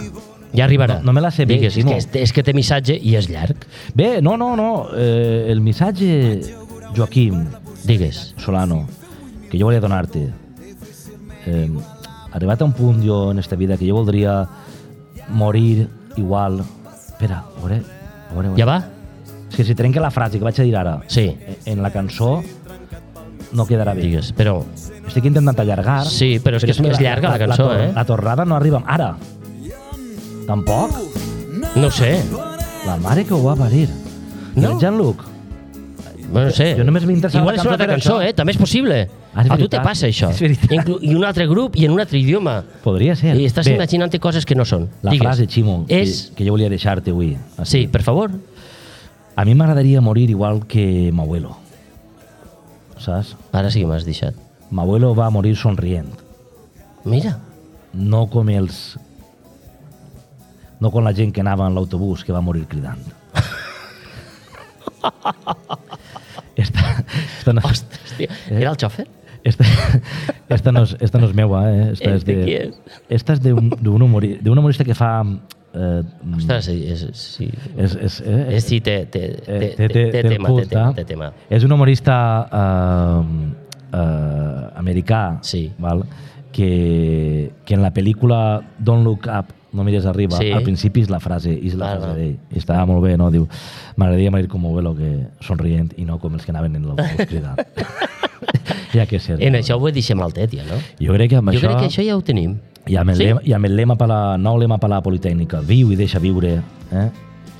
Ja arribarà. No- no me la sé bé, Digues, és Ximo. que, és, és que té missatge i és llarg. Bé, no, no, no. Eh, el missatge, Joaquim Digues. Solano, que jo volia donar-te. Eh, arribat a un punt jo en esta vida que jo voldria morir igual... Espera, a veure, a veure, a veure. Ja va? És que si trenca la frase que vaig a dir ara Sí. en la cançó no quedarà bé. Digues, però... Estic intentant allargar. Sí, però és que és més llarga la cançó, tor- eh? La tornada no arriba ara. Tampoc? No sé. La mare que ho va parir. No. I el Jean-Luc? Bueno, no sé. Jo només m'interessa Igual la és una cançó altra per cançó, això. eh? També és possible. Ah, és A tu veritat. te passa això. És veritat. Inclu I un altre grup i en un altre idioma. Podria ser. I estàs Bé, imaginant coses que no són. la Digues. frase, Ximo, És... que, que jo volia deixar-te avui. Sí, per favor. A mi m'agradaria morir igual que m'abuelo. Saps? Ara sí que m'has deixat. M'abuelo va morir somrient. Mira. no com els... no com la gent que anava en l'autobús que va morir cridant. esta, esta no, Ostres, tio. Era el xòfer? esta, esta, no és, esta no és meua, eh? Esta és Este de, qui és? esta és d'un d'un humori, d'un humorista que fa... Eh, Ostres, és... Sí. és, és, eh, És, sí, té, té, té, eh, té, té, té tema, cult, té, tema, eh? té tema. És un humorista eh, eh, americà, Sí. val? Que, que en la pel·lícula Don't Look Up, no mires arriba, Sí. al principi és la frase, és la Ah, frase no. d'ell. I estava molt bé, no? Diu, m'agradaria morir com Ovelo, que somrient, i no com els que anaven en l'autobús cridant. Ja que ser. En això ho deixem al tet, ja, no? Jo crec que amb Jo això... crec que això ja ho tenim. I amb el, Sí? lema, i amb el lema per la, nou lema per la Politècnica, viu i deixa viure, eh?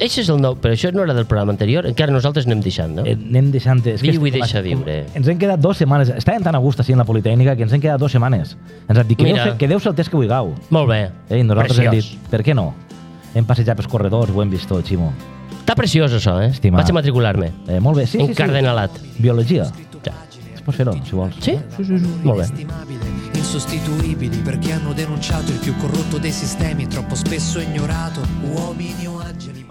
Això és el nou, però això no era del programa anterior, encara nosaltres anem deixant, no? Eh, anem deixant... És que Viu és- i deixa com- viure. Ens hem quedat dues setmanes. Estàvem tan a gust així en la Politècnica que ens hem quedat dues setmanes. Ens han dit, quedeu-se Mira. quedeu el test que vulgueu. Molt bé. Eh, I nosaltres Preciós. hem dit, per què no? Hem passejat pels corredors, ho hem vist tot, Ximo. Està preciós, això, eh? Estimat. Vaig a matricular-me. Eh, molt bé, sí, sí, sí. Encardenalat. Biologia. Ja. Pots fer-ho, si vols. Sí? Molt bé. inestimabile, insostituibili perché hanno denunciato il più corrotto dei sistemi troppo spesso ignorato, uomini o angeli